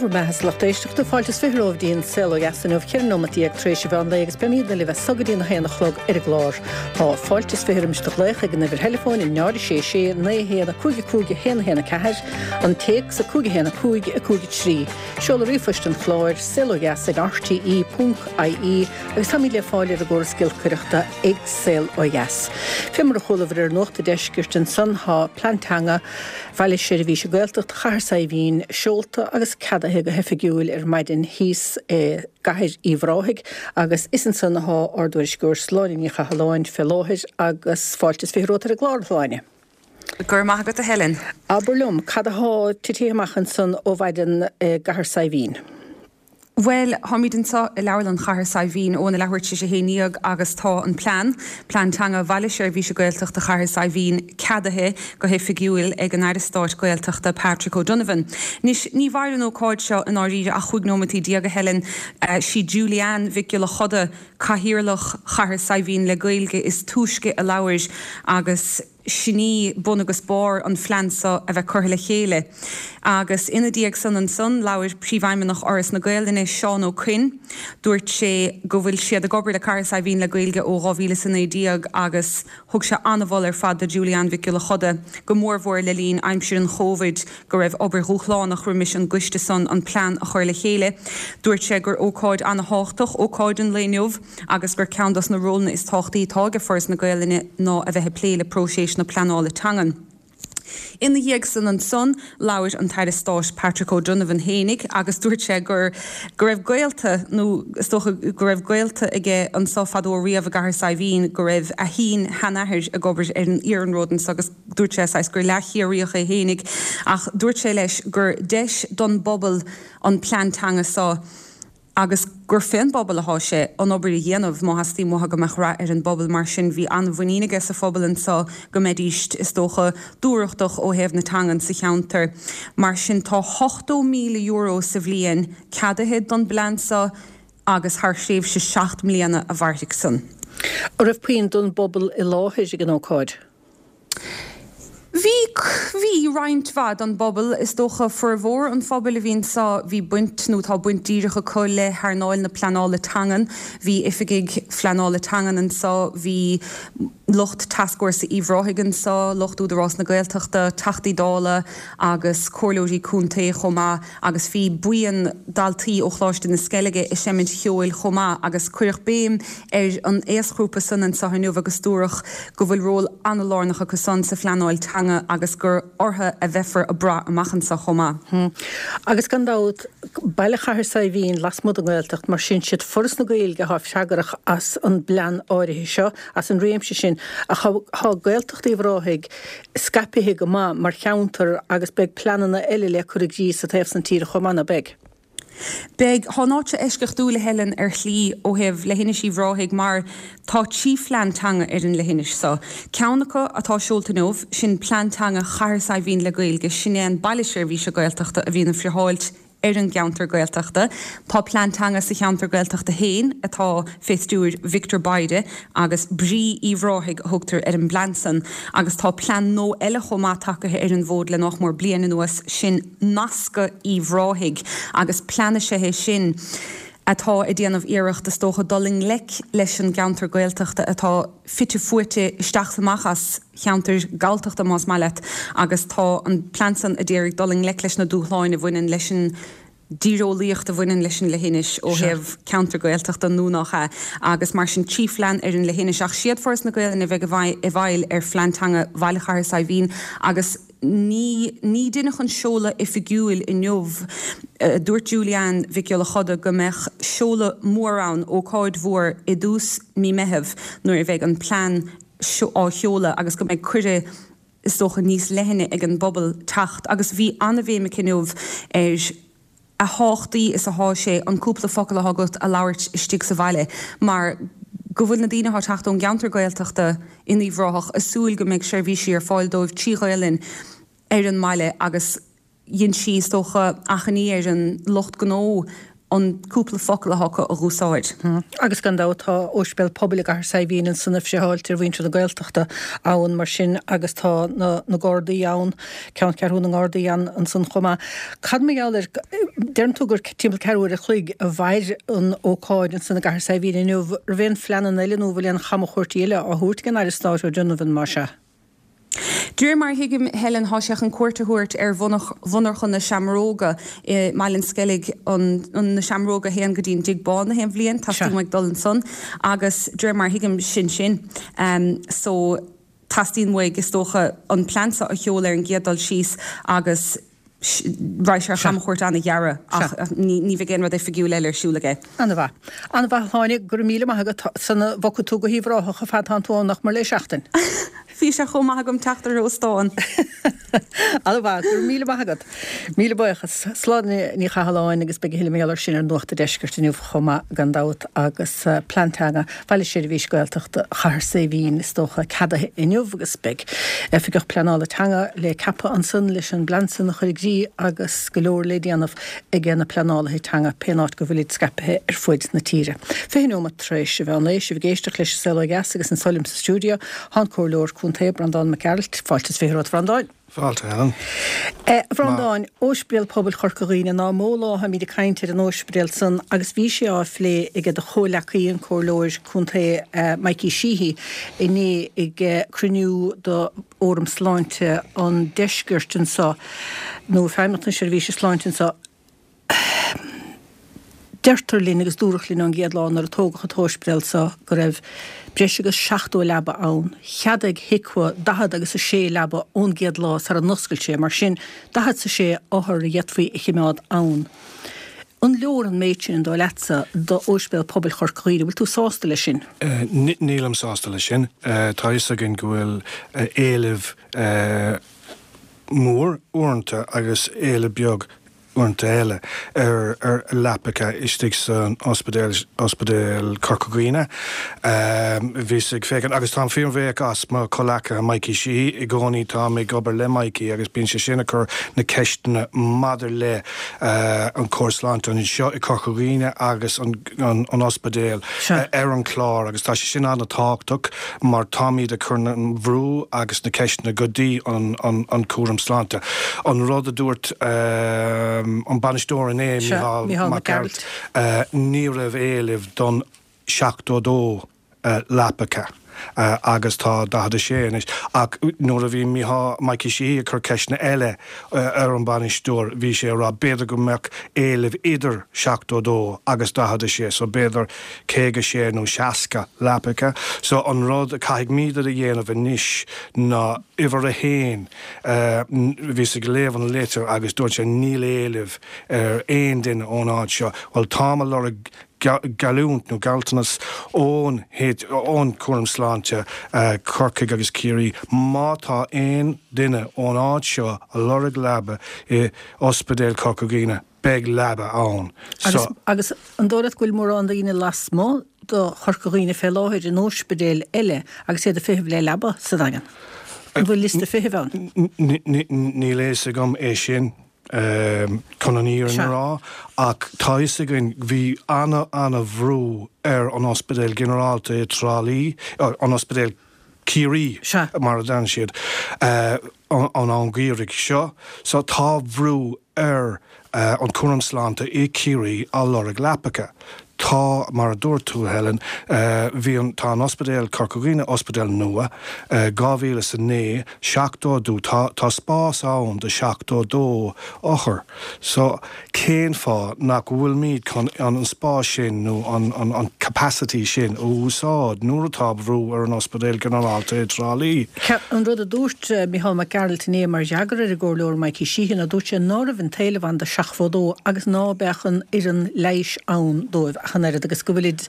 Bhur mbeatha a lucht éisteachta, fáilte is 20 romhaibh dtí an Saol Ó Dheas inniu, 14 nóimeat tar éis an mheán lae agus beimídne libh as so go dtí an 1 a chlog ar an gclár. Tá fáilte is 20 roimis do ghlaoch ag an uimhir theileafóin 0 6 6 9 1 5 5 1 1 4, an téacs 5 1 5 5 3. Seoladh ríomhphoist an chláir, saolodheas ag rte ponc ie agus táimid le fáil ar an gcóras giolcaireachta ag Saol Ó Dheas. Fé mar a chualabhair ar Nuacht an Deiscirt ansan tá Plean Teanga Bhaile Seirbhíse Gaeltachta Chathair Saidhbhín seolta agus ceadaithe go hoifigiúil ar maidin thíos i gCathair Uíbh Ráthaigh agus is ansan athá ár dtuairisceoir Sláine Ní Chathalláin fé láthair agus fáilte is 20 romhat ar an gclár, a Shláine. Go raibh maith agat a Helen. Abair liom, cad athá titithe amach ansan ó mhaidin i gCathair Saidhbhín? Bhuel, táimid anseo i Leabharlann Chathair Saidhbhín óna leathuair tar éis a 11 agus tá an plean, Plean Teanga Bhaile Seirbhíse Gaeltachta Chathair Saidhbhín, ceadaithe go hoifigiúil ag an Aire Stáit Gaeltachta Patrick O'Donovan. Anois, ní mhair an ócáid seo i ndáiríre ach chúig nóimeataí déag, a Helen. Sí Julie Ann Mhic Giolla Choda, Cathaoirleach Chathair Saidhbhín le Gaeilge is túisce a labhair agus, Sin í bun agus barr an phlean seo a bheith curtha le chéile. Agus ina dhiaidh san ansan, labhair Príomhfheidhmeannach Fhoras na Gaelainne, Seán Ó Coinn. Dúirt sé go bhfuil siad ag obair le Cathair Saidhbhín le Gaeilge ó 2019 agus thug sé an-mholadh ar fad do Julie Ann Mhic Giolla Choda, go mórmhór le linn aimsir an Chóibhid, go raibh obair dhúshlánach roimis an gcoiste san an plean a chur le chéile. Dúirt sé gur ócáid an-thábhachtach ócáid an lae inniu. agus gur ceann dos na rólanna is tábhachtaí atá aige Foras na Gaelainne ná a bheith ag plé le próiseas na pleanála teangan. Ina dhiaidh san ansan, labhair an tAire Stáit Patrick O'Donovan fhéinig agus dúirt sé gur go raibh gaolta, nó is dócha go raibh gaolta aige anso fadó riamh i gCathair Saidhbhín, go raibh a shín-sheanathair ag obair ar an iarnród anso agus dúirt sé saghas gur leath-Chiarraíoch é fhéinig ach dúirt sé leis gur deis don bpobal an plean teanga so agus gur fén bpobal athá sé an obair a dhéanamh má theastaíonn uathu go mbeadh rath ar an bpobal. Mar sin bhí an-mhuinín aige sa phobal anso go mbeidíst, is dócha, dúthrachtach ó thaobh na teangan sa cheantar. Mar sin tá €80,000 sa bhliain ceadaithe don bplean so agus thar thréimhse 7 mbliana a mhairfidh san. An raibh puinn don bpobal i láthair ag an ócáid? Bhí, bhí roinnt mhaith don bpobal. Is dócha formhór an phobail a bhí anso, bhí baint nó tá baint díreach acu le hearnáil na pleanála teangan. Bhí oifigigh phleanála teangan anso, bhí lucht Tascfhórsa Uíbh Ráthaigh anso, lucht Údarás na Gaeltachta, Teachtaí Dála agus comhairleoirí contae chomh maith agus bhí buíon daltaí ó Choláiste na Sceilge ag seimint cheoil chomh maith agus cuireadh béim ar an aosghrúpa san anseo inniu agus dúradh go bhfuil ról an-lárnach acu san sa phleanáil teanga agus gur orthu a bheifear ag brath amach anseo chomh maith. Agus gan dabht, baile Chathair Saidhbhín lasmuigh den nGaeltacht, mar sin siad Foras na Gaeilge atá freagrach as an bplean áirithe seo, as an réimse sin. Ach tá Gaeltacht Uíbh Ráthaigh scaipithe go maith mar cheantar agus beidh pleananna eile le cur i gcrích sa taobh san tíre chomh maith, ná beidh? Beidh. Tá an áit seo eisceachtúil, a Helen, ar shlí, ó thaobh Leithinis Uíbh Ráthaigh mar tá trí phlean teanga ar an leithinis seo. Ceann acu atá seolta inniu, sin Plean Teanga Chathair Saidhbhín le Gaeilge, sin é an Baile Seirbhíse Gaeltachta a bhíonn ag friotháilt ar an gceantar Gaeltachta. Tá plean teanga sa cheantar Gaeltachta féin atá fé stiúir Victor Bayda agus Brí Uíbh Ráthaigh a thugtar ar an bplean san. Agus tá plean nua eile chomh maith tagaithe ar an bhfód le nách mór bliain anuas, sin Nascadh Uíbh Ráthaigh agus plean is ea é sin atá ag déanamh iarracht, is dócha, dul i ngleic leis an gceantar Gaeltachta atá fite fuaite isteach 's amach as cheantar Galltachta, más maith leat, agus tá an plean san a d'iarraidh dul i ngleic leis na dúshláin a bhaineann leis an dtíreolaíocht a bhaineann leis an leithinis ó thaobh ceantar Gaeltachta nó nach ea, agus mar sin trí phlean ar an leithinis. Ach siad Foras na Gaelainne a bheidh i bhfeighil ar phlean teanga Bhaile Chathair Saidhbhín agus ní ní deineadh an seoladh oifigiúil inniu. Dúirt Julie Ann Mhic Giolla Choda go mbeadh seoladh mór ann, ócáid mhór i dtús mí Meitheamh nuair a bheidh an plean á sheoladh agus go mbeidh cuireadh is dócha níos leithne ag an bpobal teacht agus bhí an-bhéim aici inniu ar a thábhachtaí is athá sé an cúpla focal athá agat a labhairt istigh sa bhaile mar go bhfuil na daoine athá ag teacht ón gceantar Gaeltachta in Uíbh Ráthach ag súil go mbeidh seirbhísí ar fáil dóibh trí Ghaelainn ar an mbaile agus dhein sí, is dócha, achainí ar an lucht gnó. An cúpla focal atá acu a dh'úsáid. Agus gan dabht tá Ospidéal Pobail i gCathair Saidhbhín ansan ag friotháilt ar mhuintir na Gaeltachta ann mar sin agus tá na na Gardaí ann, ceanncheathrú na nGardaí ann ansan chomh maith. Cad mar gheall ar, deireann tú gur timpeall ceathrú uair a chloig a mhair an ócáid ansan i gCathair Saidhbhín inniu, raibh aon phleananna eile nó bhfuil aon chamchuairtí eile á thabhairt ag an Aire Stáit O'Donovan más ea? De réir mar a thuigim, Helen, thá sé chun cuairt a thabhairt ar mhonarcha na seamróga i mBaile an Sceilg, na seamróga a théann go dtí an dTigh Bán na haon bhliain, teastaíonn uaidh dul ansan agus de réir mar a thuigim, sin sin. So, teastaíonn uaidh, is dócha, an plean seo a sheoladh ar an gcéad dul síos agus raghaidh sé ar chamchuairt an-ghearr ach ní bheidh aon rud oifigiúil eile ar siúl aige. An-mhaith. An-mhaith a Shláine, go raibh míle maith agat. Suna bhfocfaidh tú go hUíbh Ráthach a fad tánn tú ann ach mar le seachtain. Bhí sé chomh maith agam teacht ar óstán. An-mhaith, go raibh míle maith agat. Míle buíochas. Sláine Ní Chathalláin agus beidh a thuilleadh mar gheall air sin ar Nuacht an Deiscirt inniu chomh maith gan dabht agus Plean Teanga Bhaile Seirbhís Gaeltachta Chathair Saidhbhín is dócha ceadaithe inniu agus beidh Oifigeach Pleanála Teanga le ceapadh ansan leis an bplean san a chur i gcrích agus go leor le déanamh aige na pleanálaithe teanga pén áit go bhfuilid scaipthe ar fuid na tíre. 20 neomat tar éis an mheán lae, sibh ag éisteacht leis an Saol Ó Dheas agus anso liom sa stiúideo thá an Comhairleoir Contae Breandán Mac Gearailt. Fáilte is 20 romhat a Bhreandáin. Fáilte, Helen. A Bhreandáin, Óispidéal Pobail Chorca Dhuibhne, ná mó lá tháimíd ag caint ar an óispidéal san agus bhí sé á phlé aige do chomhleacaí, an Comhairleoir Contae Mikey Sheehy, inné ag cruinniú do Fhóram Sláinte an Deiscirt anso, nó Feidhmeannacht na Seirbhíse Sláinte anso. Deirtear linn, agus dúradh linn ón gcéad lá nuair a tógadh an t-óispidéal seo, go raibh breis agus 70 leaba ann. Cheadaigh HIQA 40 agus 6 leaba ón gcéad lá sara n-oscail sé, mar sin 46 othar a d'fhéadfaí a chimeád ann. An leor an méid sin, an dóigh leatsa, d'Óispidéal Pobail Chorca Dhuibhne? Bhfuil tú sásta leis sin? Nílim sásta leis sin. Tá a fhios againn go bhfuil éileamh mór uaireanta agus éileamh beag uaireanta eile, ar leapacha istigh san ospidéal, Ospidéal Chorca Dhuibhne. Bhíos ag féachaint, agus táim fíorbhuíoch as mo chomhleacaithe Mikey Sheehy, i gcónaí táim ag obair le Mikey agus bíonn sé sin ag cur na ceisteanna maidir le an córas sláinte anseo i Corca Dhuibhne agus an an ospidéal ar an chlár agus tá sé sin an-tábhachtach mar táimid ag cur an bhrú agus na ceisteanna go dtí an cúram sláinte. An rud a dúirt an bainisteoir inné, Micheál Mac Gearailt, ní raibh éileamh don 72 leapacha agus tá 46 anois. Ach nuair a bhí Micheál, Mikey Sheehy ag cur ceisteanna eile ar an bhainisteoir bhí sé ag rá b'fhéidir go mbeadh éileamh idir 72 agus 46 so b'fhéidir 56 nó 60 leapacha. So an rud a caithfimid a dhéanamh anois ná uimhir a haon, bhíos ag léamh an litir agus dúirt sé níl éileamh ar aon duine ón áit seo. Bhuel táim ag lorg geallúint nó gealltanas ón ón cúram sláinte Corcaigh agus Ciarraí má tá aon duine ón áit seo a lorg leaba i Ospidéal Chorca Dhuibhne beidh leaba ann. Agus agus an dóigh leat go bhfuil mórán daoine lasmuigh do Chorca Dhuibhne fé láthair in óispidéil eile agus iad ag feitheamh le leaba sa Daingean? An bhfuil liosta feithimh ann? Níl a fhios agam é sin. chun an fhírinne a rá, ach tá a fhios againn, bhí ana-ana-bhrú ar an ospidéal ginearálta i dTrá Lí, an ospidéal Ciarraí mar a deireann siad, an am geimhridh seo. So tá brú ar an cúram sláinte i Ciarraí á lorg leapacha. Tá, mar a dúirt tú, Helen, bhí an, tá an ospidéal Corca Dhuibhne, ospidéal nua, 2009, 72, tá, tá spás ann do 72 othar. So, cén fáth nach bhfuilimid chun an spás sin nó an, an, an capacity sin a úsáid nuair atá brú ar an ospidéal ginearálta i dTrá Lí? An rud a dúirt Micheál Mac Gearailt inné mar fhreagra ar an gComhairleoir Mikey Sheehy ná dúirt sé ná raibh an t-éileamh ann do 72 agus ná beadh an fhoireann leighis ann dóibh ach an oiread agus go bhfuilid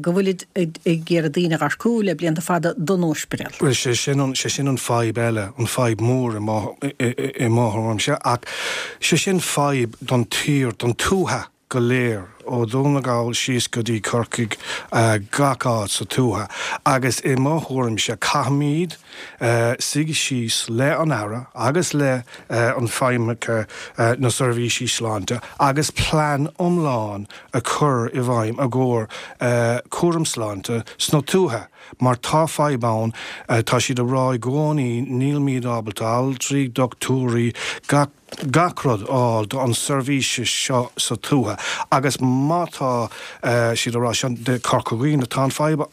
go bhfuilid ag iarraidh daoine a dh'earcú le blianta fada don óispidéal. Bhuel, sé sin an, sé sin an fadhb eile, an fadhb mór i mo, i mo thuairimse, ach sé sin fadhb don tír, don tuaithe go léir. ó Dhún na nGall síos go dtí Corcaigh, gach áit sa tuaithe agus i mo thuairimse caithfimid suigh síos le an Aire agus le an feidhmeacha na seirbhísí sláinte agus plean iomlán a chur i bhfeidhm i gcomhair cúram sláinte sna tuaithe mar tá fadhb ann, tá siad a rá i gcónaí nílimid ábalta altraí, dochtúirí, gach gach rud a fháil do an seirbhíse seo sa tuaithe agus má tá siad a rá seo de Corca Dhuibhne tá an fadhb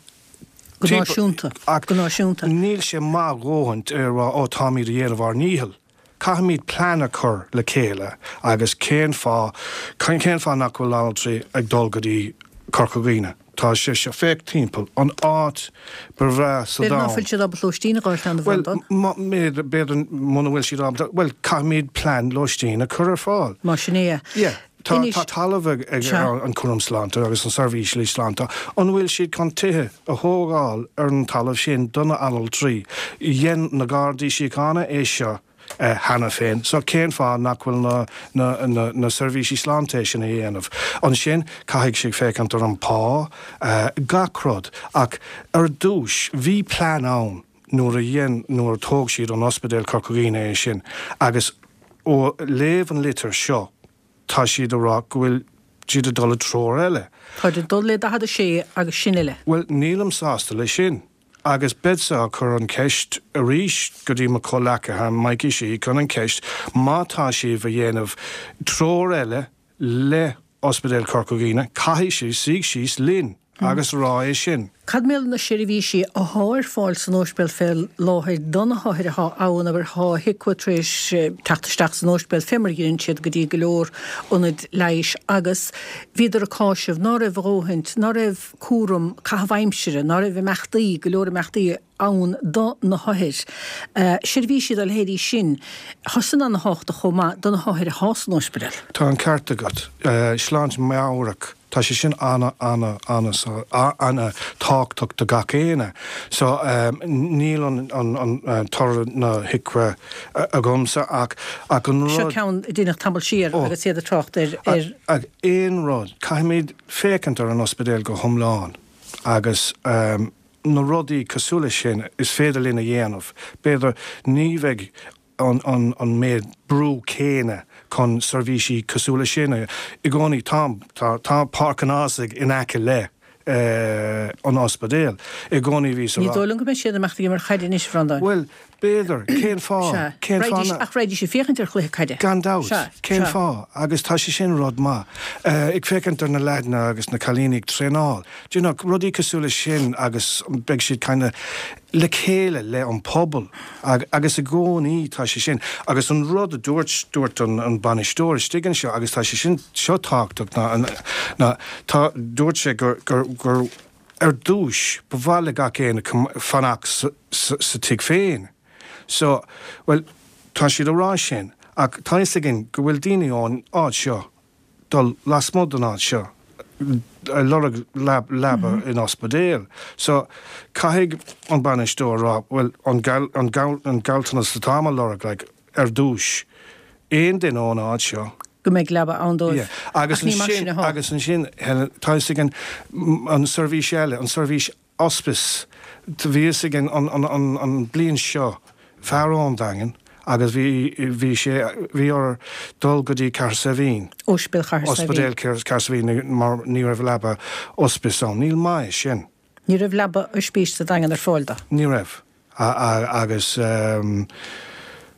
Go náisiúnta. Ach Go náisiúnta. níl sé maith a dhóthaint a rá ó táimid a dhéanamh ár ndícheall. Caithfimid plean a chur le chéile agus cén fáth, cén fáth nach bhfuil altraí ag dul go dtí Corca Dhuibhne? Tá sé seo, féach timpeall, an áit ba bhreá sa B'fhéidir ná domhan. fuil siad ábalta lóistín a dh'fháilt ann a Bhuel, Bhreandáin. b'fhéidir, b'fhéidir muna bhfuil siad ábalta, bhuel, caithfimid plean lóistín a chur ar fáil. Má sin é. Yeah. Tá Anois, tá talamh ag ag sea. an cúram sláinte agus an seirbhísí sláinte. An bhfuil siad chun tithe a thógáil ar an talamh sin do na altraí? Dhein na Gardaí Síochána é seo cheana féin so cén fáth nach bhfuil na na na na seirbhísí sláinte é sin a dhéanamh? Ansin caithfidh siad féachaint ar an pá, gach rud. Ach ar dtús bhí plean ann nuair a dhein nuair a thóg siad an Ospidéal Corca Dhuibhne é sin agus ó léamh an litir seo tá siad a rá go bhfuil siad ag dul i dtreoir eile. Táid ag dul le 46 agus sin uile. Bhuel nílim sásta le sin. Agus beidsa á cur an cheist arís go dtí mo chomhleacaithe, Mikey Sheehy, chun an cheist, má tá sibh a dhéanamh treoir eile le Ospidéal Chorca Dhuibhne, caithfidh sibh suí síos linn agus rá é sin. Cad mar gheall ar na seirbhísí athá ar fáil san óispidéal fé láthair do na hothair athá ann, abair, thá HIQA tar éis teacht isteach san óispidéal fé mar a dheineann siad go dtí go leor ionaid leighis agus bhíodar ag cáiseamh ná raibh a dhóthaint, ná raibh. cúram caitheamh aimsire, ná raibh imeachtaí, go leor imeachtaí ann do na hothair. Seirbhísí dá leithéidí sin, thá san ana-thábhachtach chomh maith do na hothair athá san ospidéal. Tá an ceart agat. Sláinte meabhrach, tá sé sin ana, ana, ana, ana tábhachtach do gach éinne. So, níl an, an, an toradh na HIQA agamsa ach, ach an rud. Seo ceann a deineadh tamall siar agus iad ag trácht ar, ar. Ach aon rud, caithfimid. féachaint ar an ospidéal go hiomlán agus na rudaí cosúil leis sin is féidir linn a dhéanamh, b'fhéidir ní bheidh an an méid brú céanna chun seirbhísí cosúil leis sin a i gcónaí tá tá tá Páirc an Ághasaigh in aice le an ospidéal i gcónaí bhí sa Ní dóigh liom go mbeidh siad ag imeacht ag imirt chaide anois, a Bhreandáin. Bhuel, B'fhéidir. Cén fáth? Sea. Cén fáth Raghaidís, na. ach raghaidís ag féachaint ar chluiche caide. Gan dabht. Sea, Cén sea. fáth? Agus tá sé sin rud maith. Ag féachaint ar na leaideanna agus na cailíní ag traenáil. Do you know, rudaí cosúil leis sin agus beidh siad kind of le chéile le an pobal agus i gcónaí tá sé sin. Agus an rud a dúirt, dúirt an, an bainisteoir istigh anseo agus tá sé sin, seo tábhachtach ná, ná tá, dúirt sé gur, gur, gur, Ar dtúis, ba mhaith le gach éinne fanacht sa tigh féin. So, bhuel, tá siad a rá sin, ach tá fhios againn go bhfuil daoine ón áit seo dul lasmuigh den áit seo ag lorg leaba in ospidéal. So, caithfidh an bainisteoir a rá, bhuel, an gealltanas atáim a lorg, like, ar dtúis, aon duine ón áit seo. go mbeidh leaba ann dóibh. Yeah. Agus Ach ní mar sin ansin, atá. agus ansin, Helen, tá fhios againn an seirbhís eile, an seirbhís ospis, bhí fhios againn an, an, an, an bliain seo, fear ón Daingean agus bhí, bhí sé, bhí air dul go dtí Cathair Saidhbhín. Ospidéal Chathair Saidhbhín. Ospidéal Cathair Saidhbhín mar ní raibh leaba ospis ann. Ní maith é sin. Ní raibh leaba oispís sa Daingean ar fáil dó. Ní raibh. Agus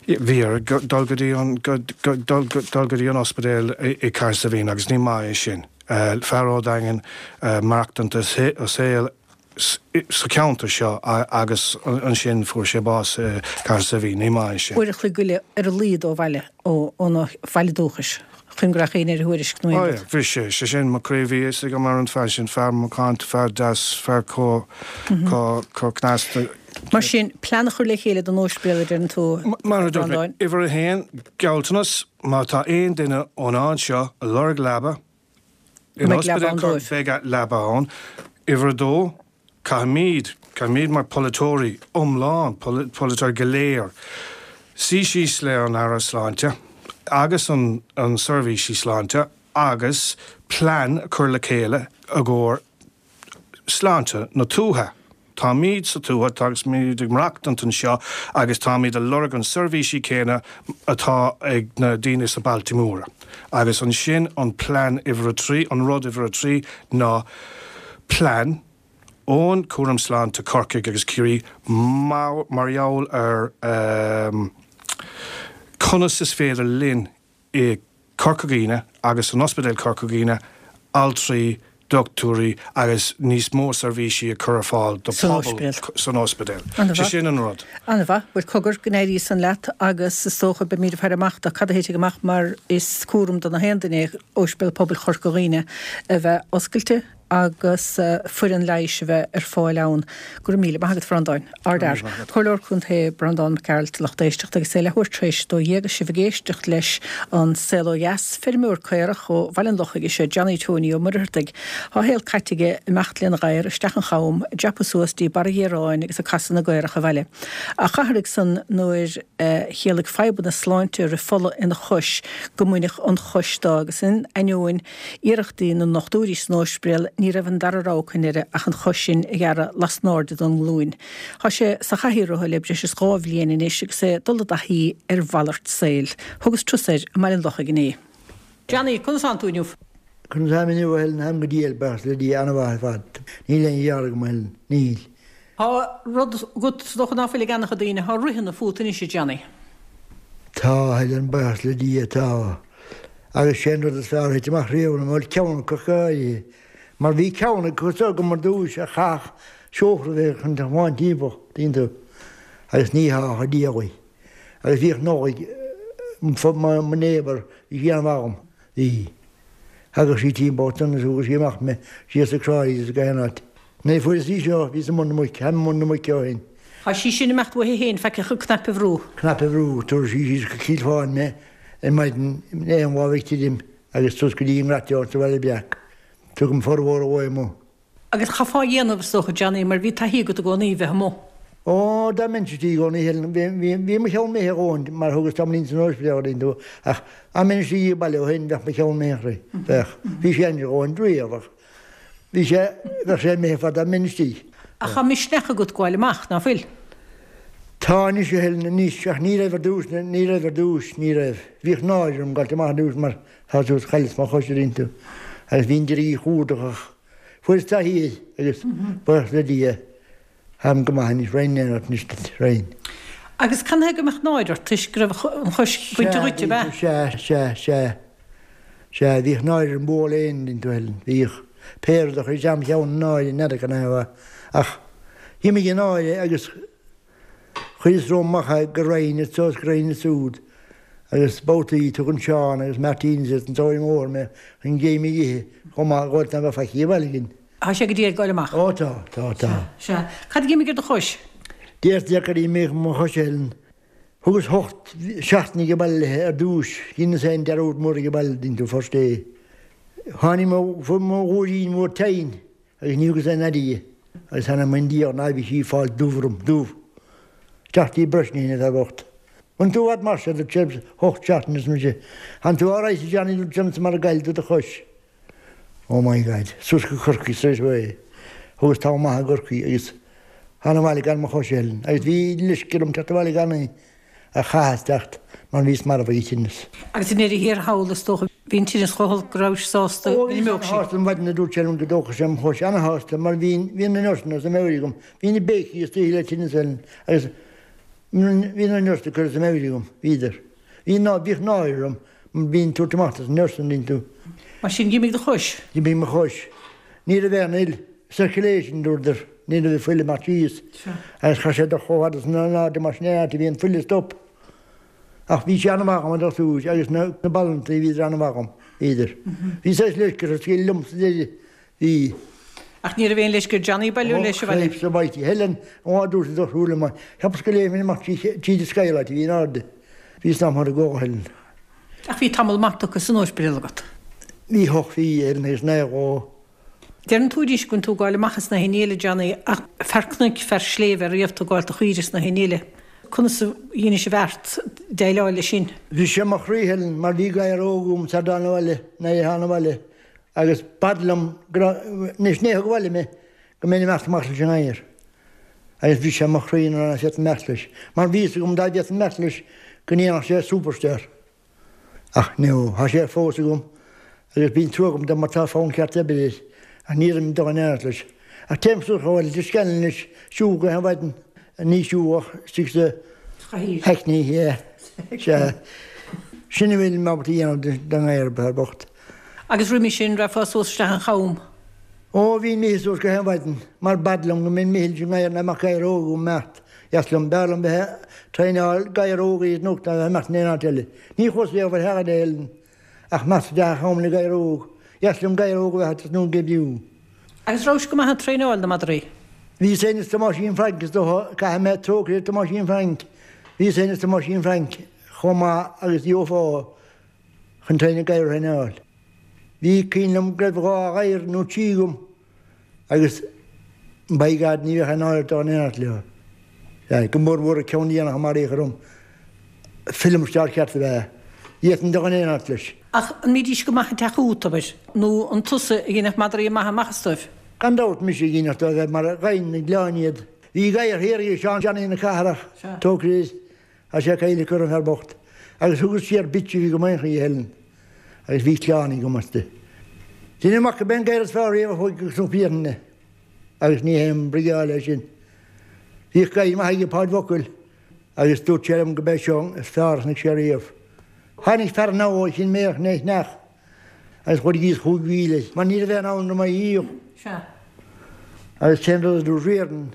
bhí air dul go dtí an, dul go dtí an ospidéal i Cathair Saidhbhín agus ní maith é sin. Fear ó Daingean maireachtaint a saol sa cheantar seo agus ansin fuair sé bás i Cathair Saidhbhín. Ní maith é sin. Uair a chloig go leith ar a laghad ó bhaile, óna bhaile dúchais. Chun go rachadh éinne ar a thuairisc nó aon rud. Ó, bhí sé, sé sin mo chroí, bhí fhios agam ar an fear sin, fear macánta, fear deas, fear chomh, chomh, chomh cneasta. Mar sin, plean a chur le chéile don óispidéal a deireann tú, Mar a dúirt mé, Breandáin. uimhir a haon, gealltanas, má tá aon duine ón áit seo ag lorg leaba, Go mbeidh leaba ann dóibh. Beidh leaba ann. Uimhir a dó, Caithfimid, caithfimid mar polaiteoirí iomlán, polaiteoirí go léir, suí síos le an Aire Sláinte agus an an seirbhísí sláinte agus. plean a chur le chéile i gcomhair sláinte na tuaithe. Táimid sa tuath agus muid ag maireachtaint anseo agus táimid ag lorg an seirbhísí céanna atá ag na daoine sna bailte móra. Agus ansin an plean uimhir a 3, an rud uimhir a 3 ná plean ón Cúram Sláinte Corcaigh agus Ciarraí mar gheall ar conas is féidir linn i Corca Dhuibhne agus san Ospidéal Corca Dhuibhne, altraí, dochtúirí agus níos mó seirbhísí a chur ar fáil do pobal san ospidéal. Sé sin an rud. An-mhaith. Bhuel, cogar, go n-éirí san leat agus is dócha beimid ag faire amach do cad a thitfidh amach mar is cúram do na haon duine é Ospidéal Pobail Chorca Dhuibhne a bheith oscailte agus foireann leighis a bheith ar fáil ann. Go raibh míle maith agat, a Bhreandáin. Ardfhear. Comhairleoir Contae Breandán Mac Gearailt, lucht éisteachta, agus é leathuair tar éis a 12 agus sibh ag éisteacht leis An Saol Ó Dheas. Feirmeoir caorach ó Bhaile an Lochaigh is ea Johnny Tony Ó Muircheartaigh. Tá a shaol caite aige ag imeacht lena ghadhar isteach an cham, ag dreapadh suas dtí Barra Ghiaráin agus ag casadh na gcaorach abhaile. Ach athraigh san nuair a chiallaigh fadhbanna sláinte rith fola ina chois go mbaineadh an chois dó agus in ainneoin Iarrachtaí na ndochtúirí san óispidéal, ní raibh an dara rogha acu i ndeireadh ach an chois sin a ghearradh lasnairde don nglúin. Tá sé sa chathaoir rotha le breis is 2 bhliain anois agus é ag dul i dtaithí ar mhalairt saoil. Thugas turas air i mBaile an Lochaigh inné. Johnny, conas tánn tú inniu? Conas táim inniu, a Helen? Táim go diail, buíochas le Dia, an-mhaith ar fad. Níl aon ghearradh agam, a Helen. Níl. Tá rud agat is dócha ná fuil ag an-chuid daoine, tá rithne fút anois, a Johnny. Tá, a Helen, buíochas le Dia, tá. Agus sé an rud is fearr a thit amach riamh liom, bhuel, ceann acu go háirithe. Mar bhí ceann acu is agam ar dtúis a chaithfeadh seofra a bheith chun tiomáint timpeall, tuigeann tú, agus ní hea a diabhail. Agus bhíodh Nollaig, mo neighbour, bhí sí an-mhaith dhom, bhí. Thagadh sí timpeall ansan agus thugadh sí amach mé síos ag Cráilí is ag aon áit. Nuair a fuaireas í seo, bhíos i mbun na muice, táim i mbun na muice ó shin. Tá sí sin ag imeacht uaithi féin, faic ach an cnaipe a bhrú. Cnaipe a bhrú, tabharfaidh sí síos go Cill Fáin mé ar maidin aon lá a bheidh tirim agus suas go dtí an nGrateoir sa Bhaile Breac. Tugaim formhór an lae amuigh. Agus chaithfeá a dhéanamh, is dócha, Johnny, mar bhí taithí agat i gcónaí a bheith amuigh. Ó, dá mbeinnse istigh i gcónaí, Helen, bhí, bhí mo cheann imithe a dhóthain mar thugas tamaillín san ospidéal a dtuigeann tú, ach dá mbeinn istigh ag baile ó shin, bheadh mo cheann imithe, bheadh. Bhí sé ainnis a dhóthain riamh ach. Bhí sé, bheadh sé imithe fad dá mbeinn istigh. Ach tá misneach agat gabháil amach, ná fuil? Tá anois, a Helen, anois, ach ní raibh ar dtús, ní raibh ar dtús, ní raibh. Bhíodh náire orm gabháilt amach ar dtús mar tá tú, chailleas mo chois a dtuigeann tú, agus bhínn d'iarraidh í a chumhdach ach fuaireas taithí air agus buíochas le Dia, Táim go maith anois, raghainn in éineacht anois duit, raghainn. Agus canathaobh go mbeadh náire ort toisc go raibh an chois bainte dhuit, ab ea? Sea, sea, sea, sea, bhíodh náire orm bualadh le éinne, an dtuigeann tú, Helen, bhíodh. Pé rud a chuir isteach im cheann náire, n'fheadar canathaobh, ach d'imigh an náire agus chuireas romham amach é go raghainn anso is go raghainn ansúd agus babhtaí tugann Seán agus Martin is an tóir mór mé chun géim a dh'ithe chomh maith, dhóibh ná beadh faic abhaile againn. Tá sé go diail ag goil amach. Ó tá, tá, tá. Sea. Cad a d'imigh ar do chois? Deirtear gur imigh mo chois, a Helen. Thugas hocht seachtaine age baile léithe ar dtúis, dheineas féin dearúd mór age baile, an dtuigeann tú, first day. Tháinig mo, fuair mo ghuairín mhór tinn agus ní thugas aon aire di agus tháinig mé i ndiaidh ná bhí sí ag fáil dubh orm, dubh. Isteach dtí Brosnahan an fear bocht. An tú i bhfad mar seo, dúirt sé, hocht seachtaine arsa mise. Tánn tú alright a Johnny, dúirt sé, mar a ghoill tú do chois. Oh my God. Suas go Corcaigh straight away. Thugas tamall maith i gCorcaigh agus thána abhaile gan mo chois a Helen. Agus bhí leisce orm teacht abhaile gan í ach chaitheas teacht mar bhíos marbh ag an tinneas. Agus i ndeireadh thiar thall is dócha bhí an tinneas chomh holc go rabhais sásta go n-imeodh sí. Ó bhíos ana-shásta an mhaidin a dúirt sé liom go dtógfadh sé mo chois. Ana-shásta mar bhí bhí na nurseanna as a meabhair agam. Bhí na béicigh istoíche le tinneas a Helen agus bhí na nurseanna curtha as a meabhair agam. Bhíodar. Bhí ná bhíodh náire orm Bhínn ag tabhairt amach dos na nurseanna an dtuigeann tú. Mar sin, d'imigh do chois? D'imigh mo chois. Ní raibh aon fhuil, circulation, dúradar, ní raibh an fuil ag imeacht síos. Agus chaith sé dul chomh fada san in airde mar sin é áit a bhí an fuil ag stop. Ach bhí sé an-mhaith dhom an dochtúir agus na banaltraí bhíodar an-mhaith dhom, bhíodar. Bhí saghas leisce orthu scaoileadh liom sa deireadh. Bhí. Ach ní raibh aon leisce ar Johnny bailiú leis abhaile. Ó, Christ almighty, Helen, an lá a dúirt an dochtúir liom, cheapas go léimfinn amach tríd an skylight a bhí in airde. Bhíos namtha i gcomh, Helen. Ach bhí tamall maith tugtha san ospidéal agat. Bhí hocht mhí, Helen, agus naoi dhó. Deireann tú arís go bhfuil tú ag gabháil amach is na haon ní eile, Johnny, ach fear cnoic, fear sléibhe riamh tú ag gabháil do chaoire is na haon ní eile. Conas a dheinis an bheart déileáil leis sin? Bhris sé mo chroí, Helen, mar bhí gadhar óg agam sar dtána abhaile, nuair a thána abhaile. Agus b'fhada liom go raibh, anois ní thug abhaile mé go mbeinn imeacht amach leis an ngadhar. Agus bhris sé mo chroí nuair ná féadfainn imeacht leis. Mar bhí fhios agam dá bhféadfainn imeacht leis go ndéanfadh sé superstar. Ach no, thá sé fós agam agus bíonn trua agam dó mar tá fonn ceart oibre air ach ní raibh dul in éineacht leis. Ach téim suas chomh fada le Scanlon anois, siúl gach aon mhaidin, ní siúl ach istigh sa Hackney, yeah, sea. Sin a bhfuil mé ábalta a dhéanamh don ngadhar, fear bocht. Agus roimis sin, rachfá suas isteach an Cham? Ó, bhínn imithe suas gach aon mhaidin, mar b'fhada liom go mbeinn imithe leis an ngadhar ná mbeadh gadhar óg agam imeacht. Dheas liom, b'fhearr liom bheith ag traenáil gadhar óg ar an gcnoc ná bheith imeacht in aon áit eile. Ní chuas riamh ar theach eile ach imeacht isteach an Cham le gadhar óg. Dheas liom gadhar óg a bheith ag tosnú ag oibriú. Agus rabhais go maith ag traenáil na madraí? Bhíos féin is Tomáisín Frainc is dócha, caithfidh mé trócaire ar Tomáisín Frainc, bhíos féin is Tomáisín Frainc chomh maith agus gheofá chun traenáil gadhar a thraenáil. Bhí cuimhin liom go raibh dhá ghadhar nó trí agam agus by God ní bheadh aon náire dul in éineacht leo. Sea, go mór mhór an ceann déanach a maraíodh orm, film star ceart ab ea. D'fhéadfainn dul in éineacht leis. Ach an mbídís go maith ag teacht chugat, abair, nó an tusa a dhéanfadh madraí maithe amach astu? Gan dabht, mise a dhéanfadh dóibh mar gheibhinn na gleann iad. Bhí gadhar thiar ag Seán Johnny na Cathrach, trócaire air. Tá sé caillte acu an fear bocht. Agus thugas siar bitch a bhí go maith a Helen. Agus bhí clann agam aisti. Deinim amach go b'é an gadhar is fearr riamh a chuaigh go Cnoc Mhiathlainne. Agus ní haon brigeáil é sin. Bhíodh gadhar maith aige Páid Mhocail agus dúirt sé liom go b'é seo is fearr a chonaic sé riamh. Tháinig fear anall ó Chinn Méarach lena cheannach agus chuir thíos 5,000 mar ní raibh aon fhonn orm é a dhíol. Sea. Agus cén rud a dúirt Riordan?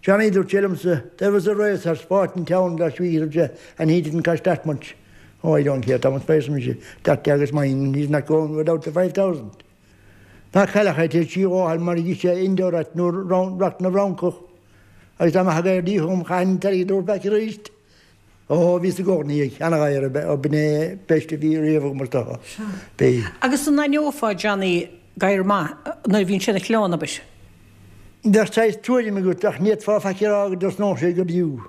Johnny, dúirt sé liomsa, there was a racehorse bought in town last week, dúirt sé, and he didn't cost that much. Oh, I don't care, Thomas arsa mise, that dog is mine and he's not going without the 5,000. Ná cailleach é tar éis sí dhó fháil mar a dh'ith sé Indo rat nó rat na bhFrancach. Agus dá mbeadh an gadhar díolta agam chaithfinn an t-airgead a thabhairt back arís. Ó, bhíos i gcónaí ag ana-ghadhar ab ea, b'in é best a bhí riamh agam is dócha. B'é. Agus an aithneofá, Johnny, gadhar maith nuair a bhíonn sé ina chlann, abair? Bheadh saghas tuairim agat ach ní fhéadfá faic a rá go dtosnódh sé ag oibriú.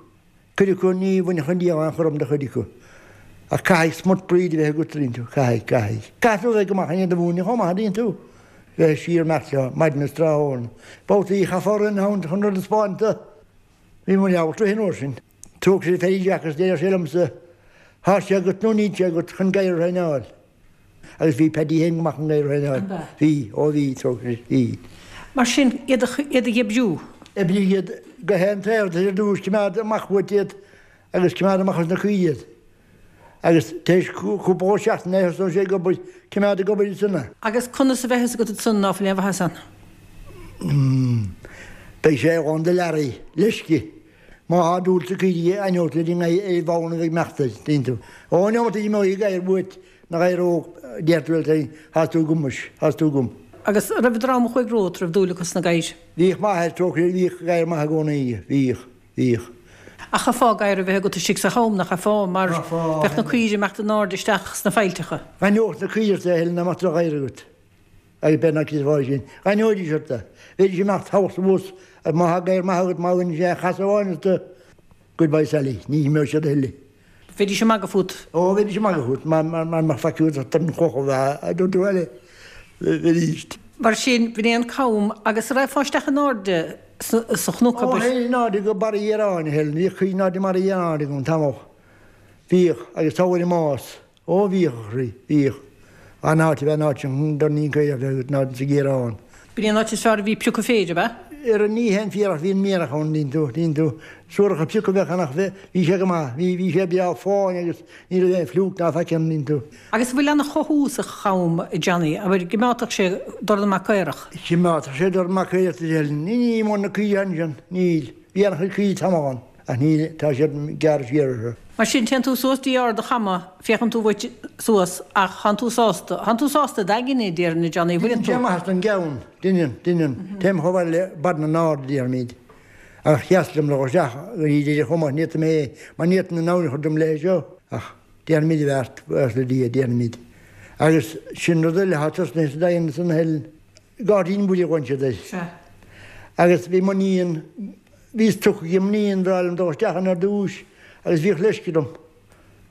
Cuid acu ní bhainfeadh an diabhal aon chúram de chuid acu. Ach caithfidh smut breed a bheith agat, an dtuigeann tú, caithfidh, caithfidh. Caithfidh tú a bheith go maith in iad a mhúineadh chomh maith, an dtuigeann tú. Bheith siar imeacht leo, maidin is tráthnóna. Babhtaí chaithfeá rith ann chun rud a 'spáint do. Bhí mo leabhar tríothu an uair sin. Trócaire ar Phaddy Jack agus deireadh sé liomsa, Thá sé agat nó níl sé agat chun gadhar a thraenáil. Agus bhí Paddy féin go maith chun gadhar a thraenáil. Bhí, ó bhí, trócaire, bhí. Mar sin, iad a iad a dh'oibriú. Oibrigh iad go haon taobh ar dtús, coimeád amach uait iad agus coimeád amach as na caoirigh iad. Agus tar éis cúpla seachtain a thosnóidh sé ag obair, coimeád ag obair ansan é. Agus conas a bheidh fhios agat ansan ná fuil aon mhaitheas ann? Beidh sé ar dhóigh do learaí, leisce. Má thá dúil sna caoirigh aithneoidh tú ar an ar an bhfonn a bheidh ag imeacht air, dtuigeann tú. Ón neomat a imeoidh an gadhar uait, na gadhar óg, déarfaidh tú leat féin, Thá tú agam muis, thá tú agam. Agus an raibh an dream a chuaigh romhat, raibh dúil acu sna gadhair? Bhíodh m'athair, trócaire air, bhíodh gadhar maith i gcónaí aige, bhíodh, bhíodh. Ach chaithfeá gadhar a bheith agat istigh sa cham, nach gcaithfeá, mar bheadh na caoirigh ag imeacht in airde isteach sna faillteacha. D'aithneodh na caoirigh ort é a thuilleadh dá mbeadh droch-ghadhar agat. Agus b'fhéidir nach gcreidfeá sin. D'aithneoidís ort é. Bheidís ag imeacht thall is abhus agus má thá gadhar maith agat, má bhaineann sé aon chasadh amháin ort, goodbye Sally, ní imeoidh siad a thuilleadh. Bheidís ag magadh fút. Ó, bheidís ag magadh fút, mar mbeadh faic agat ach dorn cloch a bheith, a dúirt tú eile, bheidís. Mar sin, b'in é an cam agus an raghfá isteach in airde sa chnoc, abair. Ó, théinn in airde go Barra Dhiaráin, a Helen, bhíodh cuid in airde i mBarra Dhiaráin agam tamall. Bhíodh, agus tá uair i mbás. Ó bhíodh, a chroí, bhíodh. An áit a bheith an áit sin chun dornín caorach a bheith agat an áit sa gCiarán. B'in é an áit is fearr a bhí piocadh féir, ab ea? Ar an ní haon fíor ach bhí an mianach ann, dtuigeann tú, dtuigeann tú. Suaracha piocadh a bheadh ann ach bhí sé go maith, bhí, bhí sé breá fáin agus ní raibh aon fliúc ná faic ann, dtuigeann tú. Agus an bhfuil ana chothú sa cham, a Johnny, abair, gcimeádfadh sé dorn maith caorach? Chimeádfadh sé dorn maith caorach, a Helen. Ní, ní mór na caoirigh ansin, níl. Bhí an-chuid caoirigh tamall ann. Ach níl, tá siad gearrtha siar orthu. Mar sin, téann tú suas dtí Ard a' Chama, féachann tú uait suas, ach thánn tú sásta, thánn tú sásta i d'aigne, déarfainn, a Johnny, bhfuileann tú? Deineann sé maitheas don gceann, deineann, deineann. Téim chomh fada le Barr na nArd, a déarfaimid. Ach sheas liom le dhul isteach go dtí deireadh chomh maith, ní fhéadfainn é, mar ní fhéadfainn an abhainn a chur dom léithe seo. Ach déanfaimid a bheart, buíochas le Dia, déanfaimid. Agus sin rud eile atá tosnaithe sa Daingean ansan a Helen. Gairdín Mhuire a ghlaonn siad air. Sea. Agus bhí mo níon, bhíos tugtha ag m'iníon, bhreá liom dul isteach ann ar dtúis agus bhíodh leisce orm.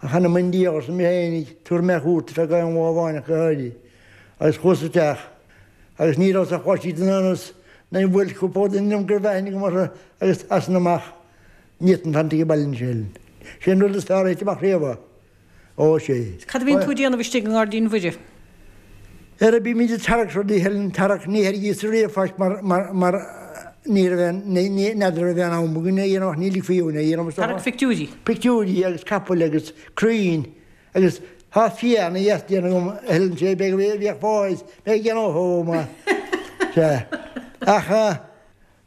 Ach anam i nDia arsa mé féinig, tabharfaidh mé cuairt ar feadh aon lá amháin ach go háirithe. Agus chuas isteach agus ní rabhas ach 12 den anas nuair a bhuail cúpla duine liom go raibh aithne agam orthu agus as san amach ní fhéadfainn fanacht ag baile anois a Helen. Sé an rud is fearr a thit amach riamh é. Ó, sé. Cad a bhíonn tú a déanamh istigh i nGairdín Mhuire? Ara bímid ag tarrac rudaí a Helen, tarrac, ní thairgíos riamh faic mar, mar, mar ní raibh aon, ní, ní, n'fheadar raibh aon am againn é a dhéanamh ach ní ligfí dhúinn é a dhéanamh is dócha. Tarrac pictiúirí. Pictiúirí agus capaill agus crainn agus tá fia ana dheas déanta agam a Helen, sé beag a bhíodh fáis, mé ag déanamh chomh maith. Sea. Ach eh.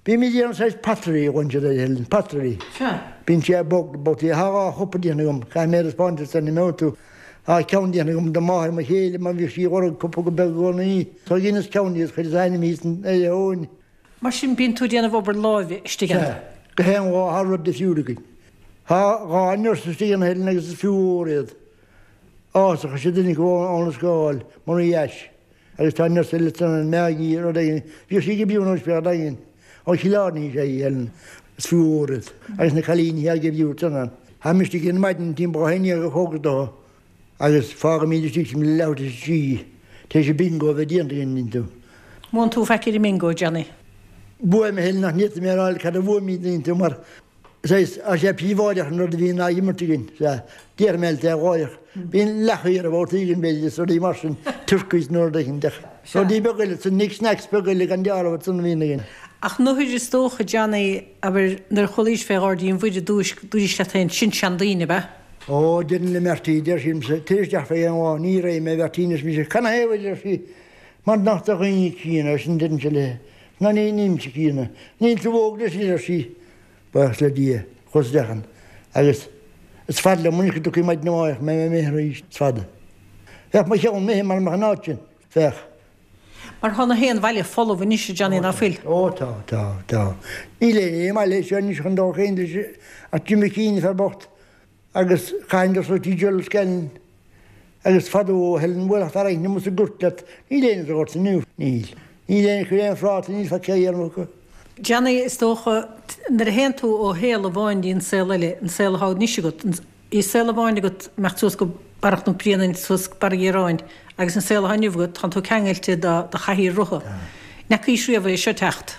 Bímid ag déanamh saghas pottery a ghlaonn siad air a Helen, pottery. Sea. Bíonn sé bog, babhtaí. Tá 2 chupa déanta agam, caithfidh mé a thaispeáint duit sula n-imeoidh tú. Tá ceann déanta agam do mháthair mo chéile mar bhíodh sí ag lorg cupa go beag i gcónaí. So dheineas ceann di agus chuireas a ainm thíos ar a thóin. Mar sin bíonn tú ag déanamh obair láimhe istigh ann. Sea. Gach aon lá tá rud difriúil againn. Tá 2 nurse istigh ann a Helen agus is fiú ór iad. Ásach is ea duine acu óna scáil, Marie Ashe. Agus tá nurse eile ansan, Maggie, rud éigin, bhíodh sí ag oibriú in Ospidéal Daingean, ó Chill Airne is ea í, Helen, is fiú ór iad. Agus na cailíní atá ag oibriú ansan ann. Tháimid istigh ar maidin timpeall 11 a chlog is dócha agus fágaimid istigh sinn le leathuair tar éis a trí, tar éis an bingo a bheith déanta againn, an dtuigeann tú. Mbuann tú faic ar an mbingo, Johnny? Buaim, a Helen, ach ní fhéadfaidh mé a rá cad a bhuaimid, an dtuigeann tú, mar Saghas, tá sé príobháideach an rud a bhíonn á imirt againn, sea, déarfaidh mé leat é láithreach. Bíonn leathchaora babhtaí againn, b'fhéidir, is rudaí mar sin, turkeys nó rud éicint, ach rudaí beaga eile, san knick knacks beaga eile gan dealramh ansan a bhíonn againn. Ach nuair is dócha, Johnny, abair, nuair a chualaís fé Ghairdín Mhuire i dtús, dúraís leat féin, sin seandaoine, ab ea? Ó, deirim le Marty, deir sí liomsa, tar isteach fé aon lá, ní raghaidh mé, a Mheairtín, arsa mise, canathaobh, a deir sí, mar nach do dhaoine críonna, ar sin deirimse léi. Ná ní, nílimse críonna. Níl tú óg leis anois, ar sí. Buíochas le Dia, chuas isteach ann agus is fada liom anois go dtiocfaidh maidin amárach mé imithe arís, is fada. Bheadh mo cheann imithe mara mbeadh an áit sin, bheadh. Mar tá na haon bhaile folamh anois, a Johnny, ná fuil? Ó tá, tá, tá. Níl éinne i mbaile seo anois chun dul féin leis ach Jim McKean, fear bocht. Agus chaithfinn dul suas dtí Gerald Scanlon agus fadó a Helen, bhuailfeadh fear éicint amuigh sa gort leat, níl éinne sa ghort inniu, níl. Níl éinne ag cur aon phráta, níl faic á dhéanamh acu. Johnny, is dócha, nuair a théann tú ó shaol amháin dtí an saol eile, an saol atá anois agat, bhí saol amháin agat imeacht suas go Barra Chnoc Bréanainn, suas go Barra Ghiaráin, agus an saol atá inniu agat, tánn tú ceangailte do do chathaoir rotha. N'fheacaís riamh é seo teacht?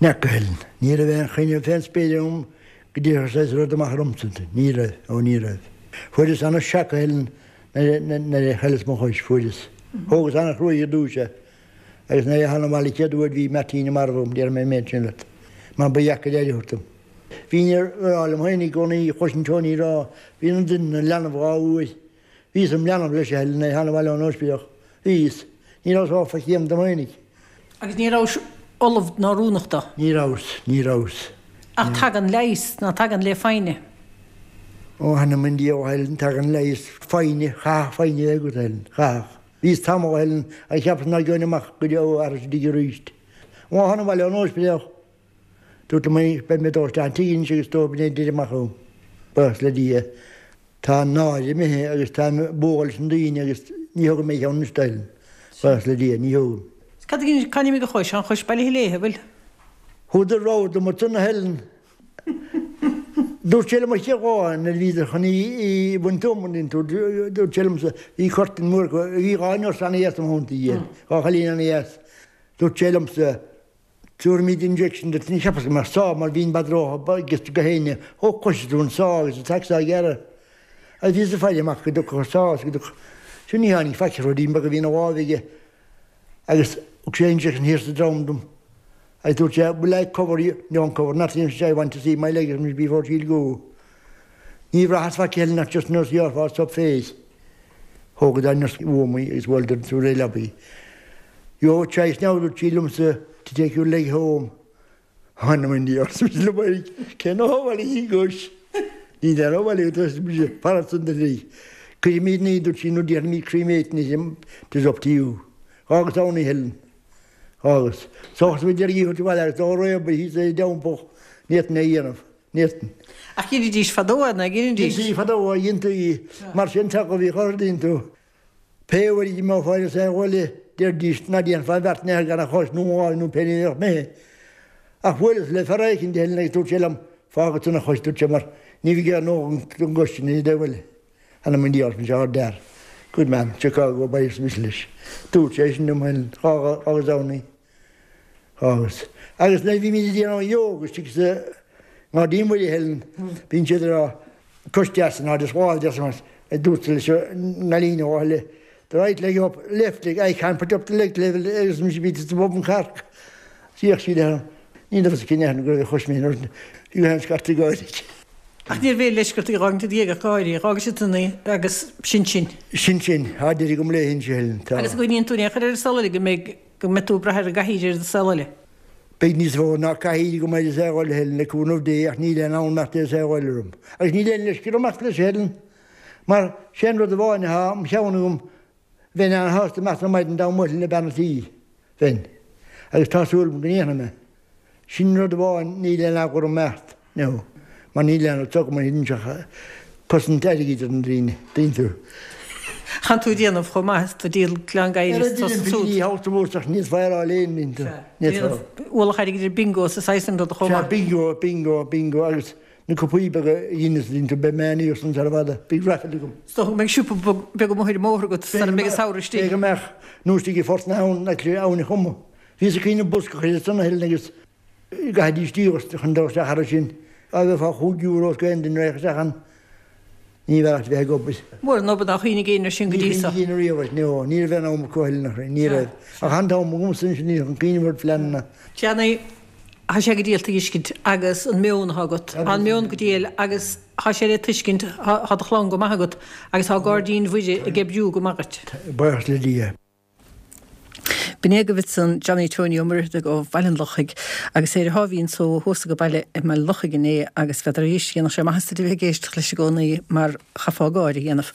N'fheaca, a Helen. Ní raibh aon choinne fén spéir agam Go dtiocfadh saghas rud amach ormsa. Ní raibh. Ó ní raibh. Fuaireas ana shock a Helen nuair a chailleas mo chois. Fuaireas. Thógas ana chruaidh ar dtúis é. Agus nuair a thána abhaile chéad uair bhí Martina marbh agam, déarfaidh mé an méid sin leat. Mar ba dheacair aire a thabhairt dom. Bhínn ag rá liom féin i gcónaí, chloisinn Tony ag rá, bíonn an duine ina leanbh dhá uair. Bhíos im leanbh leis a Helen nuair a thána abhaile ón ospidéal. Bhíos. Ní rabhas ábalta faic a dhéanamh dom fhéinig. Agus ní rabhais ullamh ná oiriúnach dó. Ní rabhas. Ní rabhas. Ach tagann leigheas, ná tagann, le foighne. Ó, th'anam 'on diabhal a Helen, tagann leigheas. Foighne, chaithfeadh foighne a bheith agat, a Helen. Chaithfeadh. Bhíos tamall, a Helen, agus cheapas ná gheobhainn amach go deo arís istigh arís. An lá a thána abhaile ón ospidéal, dúrt liom féinig, beidh mé ag dul isteach an tigh anois agus dó b'in é deireadh amach agam. Buíochas le Dia. Tá an náire imithe agus táim ag bualadh leis na daoine agus ní thógann mé a cheann anois a Helen. Buíochas le Dia, ní thógaim. Cad a cá n-imigh an chois? Tá an chois bailithe léithe, an bhfuil? Thugadar rabhadh dom ansan a Helen. Dúirt sé liom an chéad lá nuair a bhíodar chun í a bhaint dom, an dtuigeann tú, dúirt sé liomsa, bhí curtain mór acu, bhí 2 nurse ana-dheas i mo theannta, 2 chailín ana-dheas. Dúirt sé liomsa, Tabharfaimid injection duit, ní cheapas go mbeadh sá mar bhíonn bad ró giosta go héinne, ó cloisfidh tú an sá agus an tseac á ghearradh. Agus bhíos ag faire amach go dtiocfadh an sá agus go dtiocfadh, sin ní tháinig faic, ruidín beag a bhí ina láimh aige agus thug sé injection thiar sa drom dom agus dúirt sé, will I cover you, don't cover nothing, arsa sé, I want to see my leg before she'll go. Ní bhraitheas faic eile ach just nurse ghearrfá sop face. Thógadar an nurse uaim í agus bhuaileadar an réidh leabaidh. You have a choice now, dúirt sí liomsa, to take your leg home. Th'anam 'on diabhal, arsa mise liom féin, cén fáth a bhfuil í gcois? Ní deir a bhfuil arsa mise, fanacht san dlí. Cuirfimid ní, dúirt sí, nó déarfaimid cremate it, it is up to you. Dh'fhágas ann í, Helen. Dh'fhágas. Sóchas a bhí deiridh í a thabhairt abhaile agus dá réabadh thíos é i dteampall, ní fhéadfainn é a dhéanamh. Ní fhéadfainn. Ach dheinidís fadó é, ná dheinidís? Dheintí fadó é, dheintí. Mar sin teach a bhíodh orthu, dtuigeann tú. Pé uair a d'imeofá ar an bhaile, deiridís, ná déanfá an bheart in aon chor gan an chois nó an láimh nó pé ní a bheadh imithe. Ach bhuaileas le fear éicint eile agus dúirt sé liom, fág ansan an chois, dúirt sé, mar ní bheidh aon ndóthain don gcois sin i do bhaile. Th'anam 'on diabhal, arsa mise, ár d'fhear. Good man, Chicago, bye arsa mise leis. Dúirt sé sin liom féin agus ann agus. Agus nuair a bhímid ag déanamh an yoga istigh sa nGairdín Mhuire Helen, bíonn siad ag rá, cois deas in airde is lámh deas amach, a dúirt leis an gcailín ó Áth the right leg up, left leg, I can't put up the leg level agus mise bhí sa bhun carc. D'fhéach sí leis, ní raibh fhios aici in go raibh a chois mé nuair bhí an scairteadh gáire. Ach níorbh aon leisce ort í a dh'fhágaint i do dhiaidh ach gáirí, dh'fhága siad san í agus sin sin. Sin sin, tá deireadh agam léi inse Helen, tá. Agus an gcuimhníonn tú in aon chor ar an saol eile go mbeidh, go mbeidh tú ag brath ar an gcathaoir ar an saol eile? Beidh níos mó ná cathaoir agam ar an saol eile Helen, le cúnamh Dé, ach níl aon fhonn imeacht ar an saol eile orm. Agus níl aon leisce orm imeacht leis Helen, mar sé an rud amháin atá im cheann agam, bheinn an-shásta imeacht ar maidin dá mbuailfinn le bean an tí, bheinn. Agus tá súil agam go ndéanfaidh mé. Sin rud amháin, níl aon eagla orm imeacht, no, mar níl aon rud agam anois ach cosaint airgid ar na daoine, tuigeann tú. Tánn tú ag déanamh chomh maith is tú ag díol glan gadhair is tusa súd. Ní hacht a mhór ach níos fearr á léinn, tuigeann tú. Sea, ualach airgid ar bingo is saghas an ruda chomh maith. Sea, bingo, bingo, bingo agus na cupaí beaga a dheineas, tuigeann tú, beidh mé aníos ann sara bhfada, beidh raifil agam. Is dócha go mbeidh siopa beag amuigh ar an mbóthar agat sara mbeidh an samhradh istigh. Beidh go mbeadh, nó istigh i Phort na hAbhann, actually, Abhainn an Choma. Bhíos ag cuimhneamh bosca a chur ar son a thuilleadh agus gcaithfidís díograis chun dul isteach thar sin. Á bheith fá €5 os aon duine raghadh isteach ann, ní bheadh ach bheith ag obair. Mór an obair nár chuimhnigh éinne air sin go dtí so. Ní chuimhnigh éinne riamh air, no, ní raibh aon am acu a thuilleadh, ní raibh. Ach an t-am agamsa anois ní chun cuimhneamh ar phleananna. Johnny, Tá sé go diail tuiscint agus an meon atá agat, tá an meon go diail agus tá sé le tuiscint, tá do chlann go maith agat agus tá Gairdín Mhuire ag oibriú go maith duit. Buíochas le Dia. B'in é agaibh ansan Johnny Tony Ó Muircheartaigh ó Bhaile an Lochaigh agus é ar a sháimhín só thuas age baile i mBaile an Lochaigh inné agus n'fheadar arís dhéanfadh sé maitheas duit a bheith ag éisteacht leis i gcónaí mar chaithfeá gáire a dhéanamh.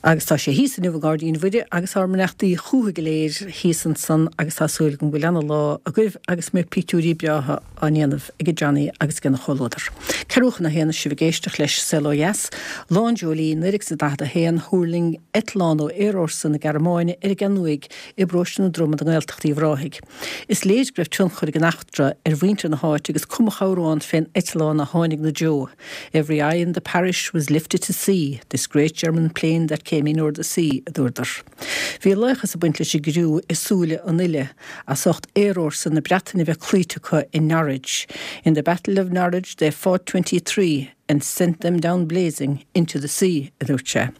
Agus tá sé thíos inniu i nGairdín Mhuire agus ár mbeannachtaí chúthu go léir thíos ansan agus tá súil agam go bhfuil ana-lá agaibh agus go mbeidh pictiúirí breátha á ndéanamh ag Johnny agus ag ina chomhluadar. Ceathrú chun a haon is sibh ag éisteacht leis Saol Ó Dheas, Lá an Dreoilín, 1941, Thuirling eitleán ó Aerfhórsa na Gearmáine ar an gCeathrú Thuaidh i bparóiste na Droma i nGaeltacht Uíbh Ráthaigh. Is léir go raibh tionchar ag an eachtra ar mhuintir na háite agus cumadh amhrán fén eitleán a tháinig 'na dtreo, Every eye in the parish was lifted to see this great German plane that came in o'er the sea, a dúradar. Bhí laochas ag baint leis an gcriú i súile an uile as ucht aerfhórsa na Breataine bheith cloíte acu i Norwich. In the battle of Norwich they fought 23 and sent them down blazing into the sea, a dúirt sé.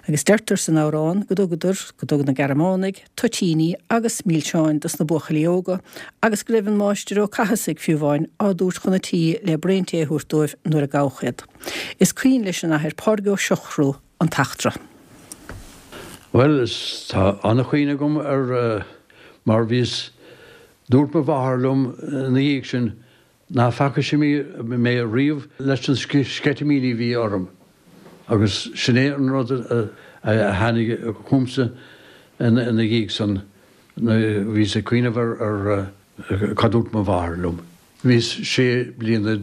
Agus deirtear san amhrán go dtugadar, go dtug na Gearmánaigh, toitíní agus milseáin dos na buachaillí óga agus go raibh an Máistir Ó Cathasaigh, fiú amháin, á dtabhairt chun an tí le braon tae a thabhairt dóibh nuair a gabhadh iad. Is cuimhin leis an Athair Pádraig Ó Siochrú an t-eachtra. Bhuel, is tá an-chuimhne agam air mar bhíos, dúirt mo mháthair liom ina dhiaidh sin ná faca sí mé riamh leis na sceitimíní a bhí orm agus sin é an rud a tháinig chugamsa ina dhiaidh san, bhíos ag cuimhneamh ar cad dúirt mo mháthair liom. Bhíos sé bliana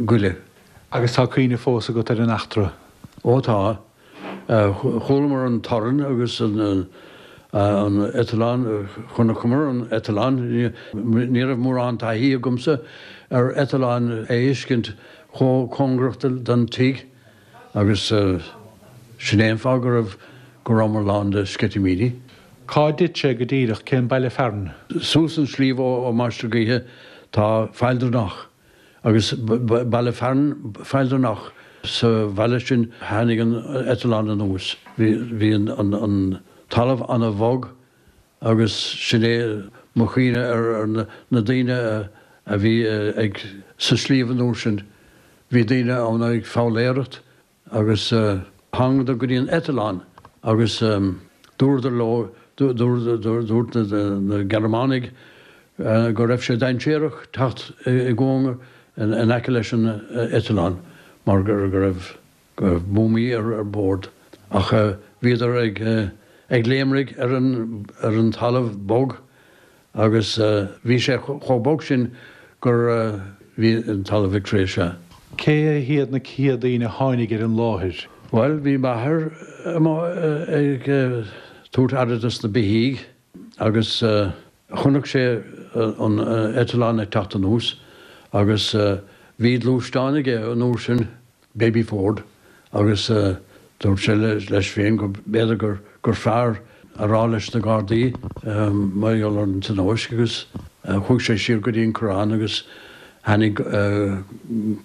go leith. Agus tá cuimhne fós agat ar an eachtra? Ó tá. Chualamar an torann agus an eitleán, chonaiceamar an eitleán. Ní raibh mórán taithí agamsa ar eitleán a fheiscint chomh cóngarach don tigh agus sin é an fáth go raibh, go rabhamar lán de sceitimíní. Cá dtit sé go díreach? Cén baile fearainn? Suas an sliabh ó Mainistir Gaoithe tá Faill Dronnach agus baile fearainn Faill Dronnach. Sa bhaile sin tháinig an eitleán anuas. Bhí an talamh ana bhog agus sin é mo chuimhne ar na daoine a bhí ag sa sliabh an uair sin. Bhí daoine ann ag foghlaeireacht Agus thángadar go dtí an eitleán agus dúradar leo, dúirt na Gearmánaigh go raibh sé dainséarach teacht i gcóngar in aice leis an eitleán mar go raibh buamaí ar bord. Ach bhíodar ag léimrigh ar an talamh bog Agus bhí sé chomh bog sin gur bhí an talamh ag crith, sea. Cé hiad na chéad daoine a tháinig ar an láthair? Bhuel, bhí m'athair amuigh ag tabhairt aire dos na beithígh agus chonaic sé an eitleán ag teacht anuas agus bhí gluaisteán aige an uair sin, Baby Ford, agus dúirt sé leis féin go mb'fhéidir gur. gur fearr a rá leis na Gardaí mar gheall ar an tionóisc agus chuaigh sé siar go dtí an Corrán agus tháinig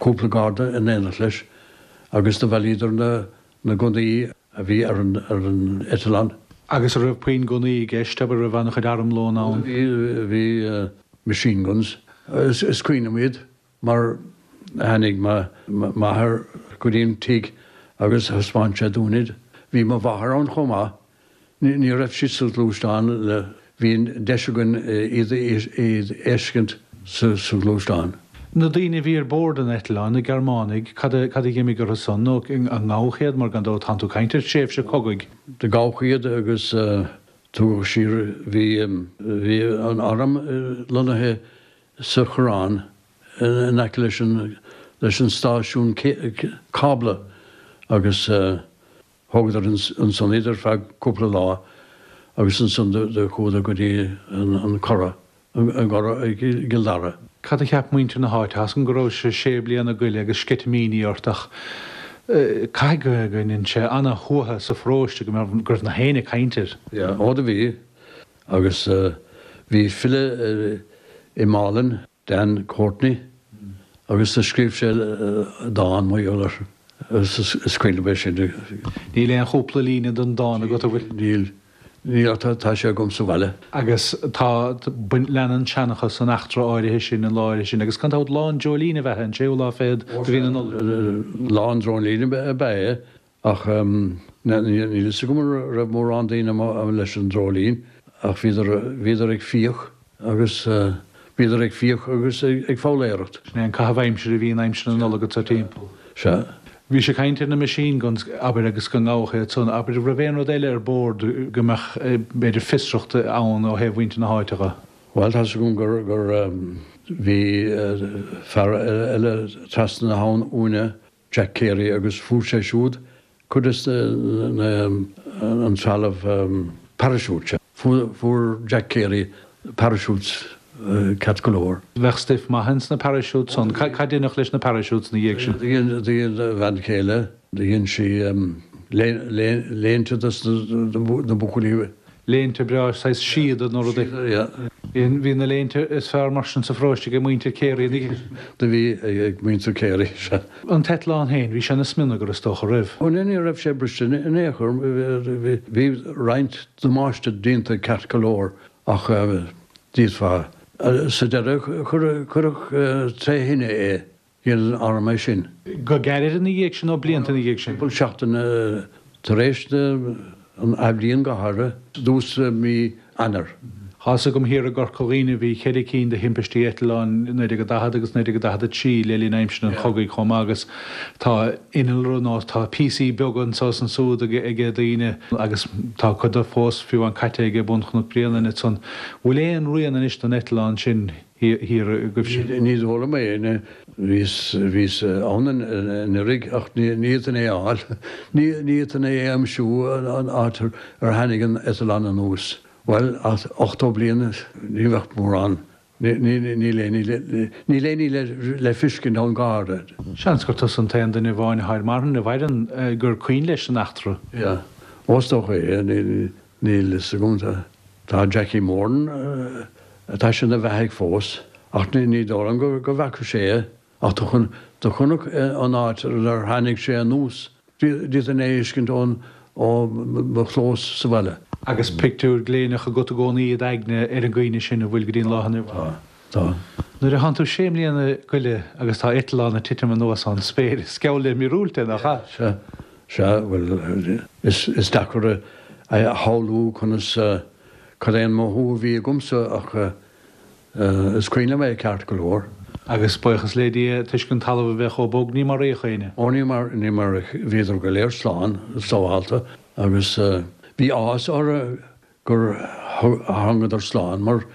cúpla Garda in éineacht leis agus do bhailíodar na gunnaí a bhí ar an eitleán. Agus an raibh puinn gunnaí i gceist, abair, raibh an-chuid armlón ann? Bhí, bhí machine guns. Is cuimhin liom iad mar tháinig m'athair go dtí an tigh agus thaispeáin sé dúinn iad. Bhí mo mháthair ann chomh maith. Ní raibh sí sa ghluaisteán le, bhí an deis againn iad a fheiscint sa ghluaisteán. Na daoine a bhí ar bord an eitleáin, na Gearmánaigh, cad a, cad a dh'imigh orthu san, nó an ngabhadh iad, mar gan dabht tánn tú ag caint ar thréimhse cogaidh. Do gabhadh iad agus tugadh siar, bhí, bhí an arm lonnaithe sa Choireán in aice leis an, leis an stáisiún cábla agus Thógadar ansan iad ar feadh cúpla lá agus ansan do chuadar go dtí an Curragh, an gCurrach i gCill Dara. Cad a cheap muintir na háite? Tá's agam go rabhais sé bliana go leith agus sceitimíní ort ach caithfidh go ndein sé ana-shuaitheadh sa pharóiste go mbeadh, go raibh nach éinne ag caint air. Yeah, ó do bhí agus bhí file i Málainn Dan Courtney agus do scríobh sé dán mar gheall air agus is cuimhin liom é sin. Níl aon chúpla líne den dán agat, an bhfuil? Níl, níl ach tá sé agam sa bhaile. Agus tá, leanann seanchas an eachtra áirithe sin, an lá áirithe sin, agus gan dabht Lá an Dreoilín ab ea é, an séú lá fichead de mhí na Nollag. Lá an Dreoilín ab ea é Ach níl a fhios agam an raibh mórán daoine amuigh leis an dreoilín ach bhíodar, bhíodar ag fiach agus, bhíodar ag fiach agus ag foghlaeireacht. Sin é an caitheamh aimsire a bhí in aimsir na Nollag anso timpeall. Sea. Bhís ag caint ar na machine guns, abair, agus go ngabhadh iad san. Abair, raibh aon rud eile ar bord go mbeadh, b'fhéidir, fiosracht ann ó thaobh mhuintir na háite dhe? Bhuel, tá's agam gur, gur, bhí fear eile trasna na habhann uainne, Jack Carey agus fuair sé siúd cuid des na an trealamh parachute. Fuair Jack Carey parachutes ceart go leor. Bheadh stuif maith ins na parachutes san. Cad deineadh leis na parachutes na dhiaidh sin? Do dhein a bhean chéile, do dhein sí léinte dos na buachaillí. Léinte breá, saghas síoda nó rud éigin. Yeah. Bhí na léinte is fearr mar sin sa pharóiste ag muintir Carey ina dhiaidh sin. Do bhí ag muintir Carey, sea. An t-eitleán féin, bhí sé ina smionagar is dócha, raibh? Ó ní raibh sé briste in aon chor. Bhí roinnt damáiste déanta ceart go leor ach d'fhéadfá. Sa deireadh cuireadh tré thine é. Dhein an arm é sin. Go gairid ina dhiaidh sin nó blianta ina dhiaidh sin? Cúpla seachtain tar éis an athbhliain go háirithe, dtús mí Eanáir. Tá's agam thiar i gCorca Dhuibhne bhí cheithre cinn de thimpistí eitleáin i 1940 agus 1943 le linn aimsir an chogaidh chomh maith agus tá innealra nó tá píosaí beaga anso is ansúd ag daoine agus tá cuid de fós fiú amháin caite ag bun Chnoc Bréanainn ansan. Bhfuil aon rian anois den eitleán sin thiar agaibhse. Ní dóigh liom é. Bhíos, bhíos ann anuraidh ach ní fhéadfainn é a fháil. Ní fhéadfainn é a aimsiú an áit ar tháinig an eitleán anuas. Bhuel, ach 80 bliain, ní bheadh mórán, níl aon ní, níl aon ní le feiscint ann go háirithe. Seans gur tusa an t-aon duine amháin atá ar marthain, a mhaireann, gur cuimhin leis an eachtra. Yeah. Ó is dócha é. Níl fhios agam. Tá Jackie Moran, tá sé ina bheathaidh fós, ach ní dóigh liom go bhfaca sé é. Ach do chonac an áit ar tháinig sé anuas. D'fhéadfainn é a fheiscint ón ó mo chlós sa bhaile. Agus pictiúr gléineach agat i gcónaí i d'aigne ar an gcuimhne sin, an bhfuil go dtí an lá inniu? Tá. Tá. Nuair a thánn tú sé mbliana go leith agus tá eitleán ag titim anuas ón spéir, is geall le míorúilt é, nach ea? Sea. Sea, bhuel, is deacair a shamhlú conas, cad é an mothú a bhí agamsa ach is cuimhin liom é ceart go leor. Agus buíochas le Dia, toisc an talamh a bheith chomh bog, ní maraíodh éinne. Ó, ní mar, ní mar, bhíodar go léir slán, sábhálta agus bhí áthas orthu gur thángadar slán mar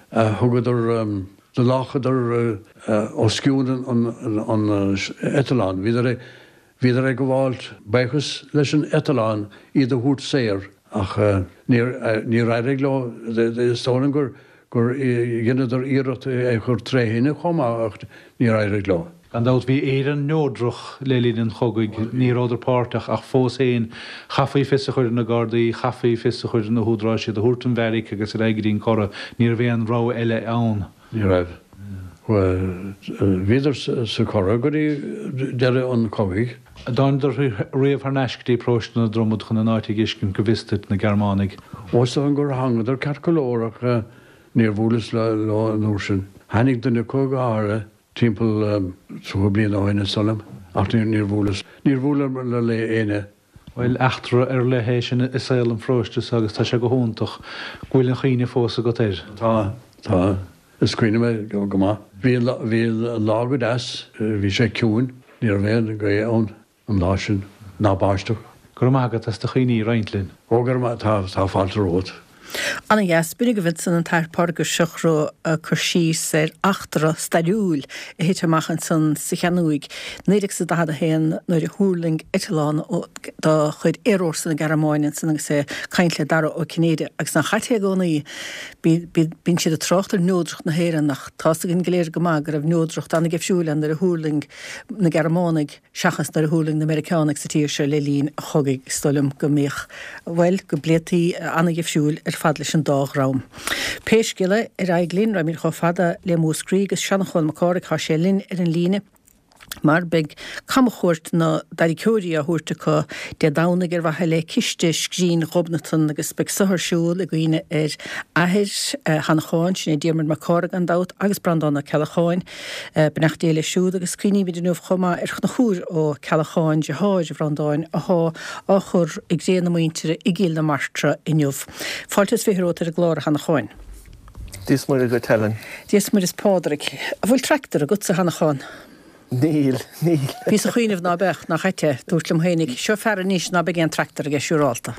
thugadar, do láchadar os cionn an eitleáin, bhíodar Bhíodar ag gabháilt buíochas leis an eitleán iad a thabhairt saor ach níor níor éirigh leo. Is dóigh liom gur gur dheineadar iarracht é a chur tré thine chomh maith ach níor éirigh leo. Gan dabht, bhí Éire neodrach le linn an chogaidh, ní rabhadar páirteach, ach fós féin, chaithfí fios a chur ar na Gardaí, chaithfí fios a chur ar na húdaráis, iad a thabhairt don bheairic agus ar aghaidh go dtí an Curragh. Ní raibh aon rogha eile ann. Ní raibh. Bhíodar sa Churrach go dtí deireadh an chogaidh. An dtánadar riamh thar n-ais go dtí Paróiste na Dromad chun an áit a dh'fheiscint go bhfios duit, na Gearmánaigh? Ó, is dóigh gur thángadar ceart go leor ach níor bhuaileas leo an uair sin. Tháinig duine acu go háirithe Timpeall 30 bliain ó shin is dóigh liom, ach níor bhuaileas, níor bhuaileamar le éinne. Bhuel, eachtra ar leith é sin i saol an pharóiste so agus tá sé go hiontach go bhfuil an chuimhne fós agat air. Tá, tá. Is cuimhin liom é go maith. Bhí an, bhí an lá go deas, bhí sé ciúin, ní raibh aon ghaoth ann. an lá sin, ná báisteach. Go raibh maith agat as do chuimhní a roinnt linn. Ó, go raibh maith, tá, tá fáilte romhat. Ana dheas. B'in agaibh ansan an tAthair Pádraig Ó Siochrú ag cur síos ar eachtra stairiúil a thit amach ansan sa sheanuaigh 1941 nuair a thuirling eitleán de chuid Aerfhórsa na Gearmáine ansan agus é ag caint le Dara Ó Cinnéide agus nach ait é i gcónaí bíonn siad ag trácht ar neodracht na hÉireann ach tá's againn go léir go maith go raibh neodracht ana-dheifriúil ann nuair a thuirling na Gearmánaigh seachas nuair a thuirling na Meiriceánaigh sa tír seo le linn an chogaidh. Is dóigh liom go mbíodh, bhuel, go bpléití ana-dhifriúil ar fad leis an dá dhream. Pé scéal é, ar aghaidh linn, raghaimid chomh fada le Múscraí agus Seanchán Mac Cárthaigh, tá sé linn ar an líne mar beidh camchuairt na dtarraiceoirí á thabhairt acu Dé Domhnaigh ar mhaithe le ciste Scrín Ghobnatan agus beidh so ar siúl i gcuimhne ar athair Sheanacháin, sin é Diarmuid Mac Cárthaigh gan dabht, agus Breandán Ó Ceallacháin. Beannacht Dé leis siúd agus cuimhnímid inniu chomh maith ar Chonchúr Ó Ceallacháin, deartháir Bhreandáin, athá á chur i gcré na muintire i gCill na Martra inniu. Fáilte is 20 romhat ar an gclár, a Sheanacháin. Dia is Muire dhuit, Helen. Dia is Muire is Pádraig. An bhfuil tractor agatsa, a Sheanacháin? Níl, níl. Bhíos ag cuimhneamh ná beadh, nach ait é? Dúrt liom féinig, seo fear anois ná beidh aon tractor aige siúrálta.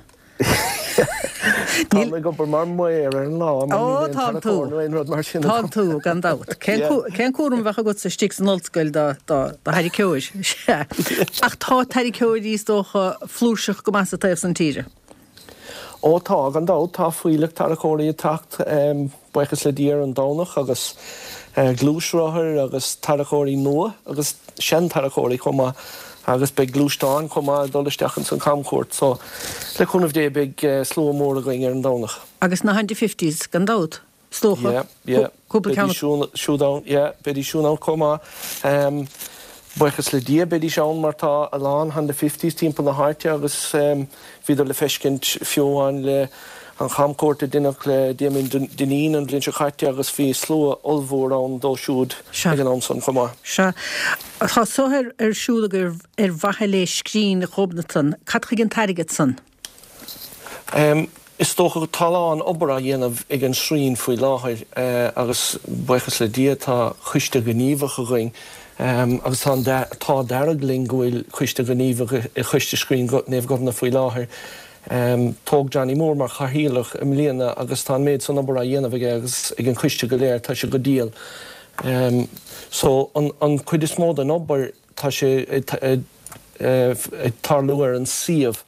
Táim ag obair mar mhaor ar an lá, mar níl aon tarracóir nó aon rud mar sin agam. Tánn tú, gan dabht. Cén cúram a bheadh agatsa istigh san ollscoil do tharraiceoir? Sea. Ach tá tarraiceoirí, is dócha, flúirseach go maith sa taobh san tíre. Ó tá, gan dabht. Tá fuílleach tarracóirí ag teacht. Buíochas le Dia ar an Domhnach agus gluaisrothair agus tarracóirí nua agus sean-tarracóirí chomh maith agus beidh gluaisteáin chomh maith ag dul isteach ins an chamchuairt so le cúnamh Dé beidh slua mór againn ar an Domhnach. Agus na Honda Fifties gan dabht, is dócha? Yeah, yeah. Cúpla ceann. Beidís siúd ann, yeah, beidís siúd ann chomh maith. Buíochas le Dia beidís ann mar tá a lán Honda Fifties timpeall na háite agus Bhíodar le feiscint fiú amháin le an chamchuairt a deineadh le Damien Dineen an bhliain seo caite agus bhí slua ollmhór ann dó siúd ag an am san chomh maith. Sea. Tá so ar siúl agaibh ar mhaithe le Scrín Ghobnatan. Cad chuige an t-airgead san? Is dócha tá a lán obair á dhéanamh ag an Sreen faoi láthair agus buíochas le Dia tá coiste gníomhach againn agus tá an t-ádh dearg linn go bhfuil coiste gníomhach i Choiste Scrín Naomh Gobnait faoi láthair. Toghadh Johnny Moore mar chathaoirleach i mbliana agus tá an méid san obair á dhéanamh aige agus ag an choiste go léir, tá sé go diail. So an chuid is mó den obair, Tá sé ag tarlú ar an suíomh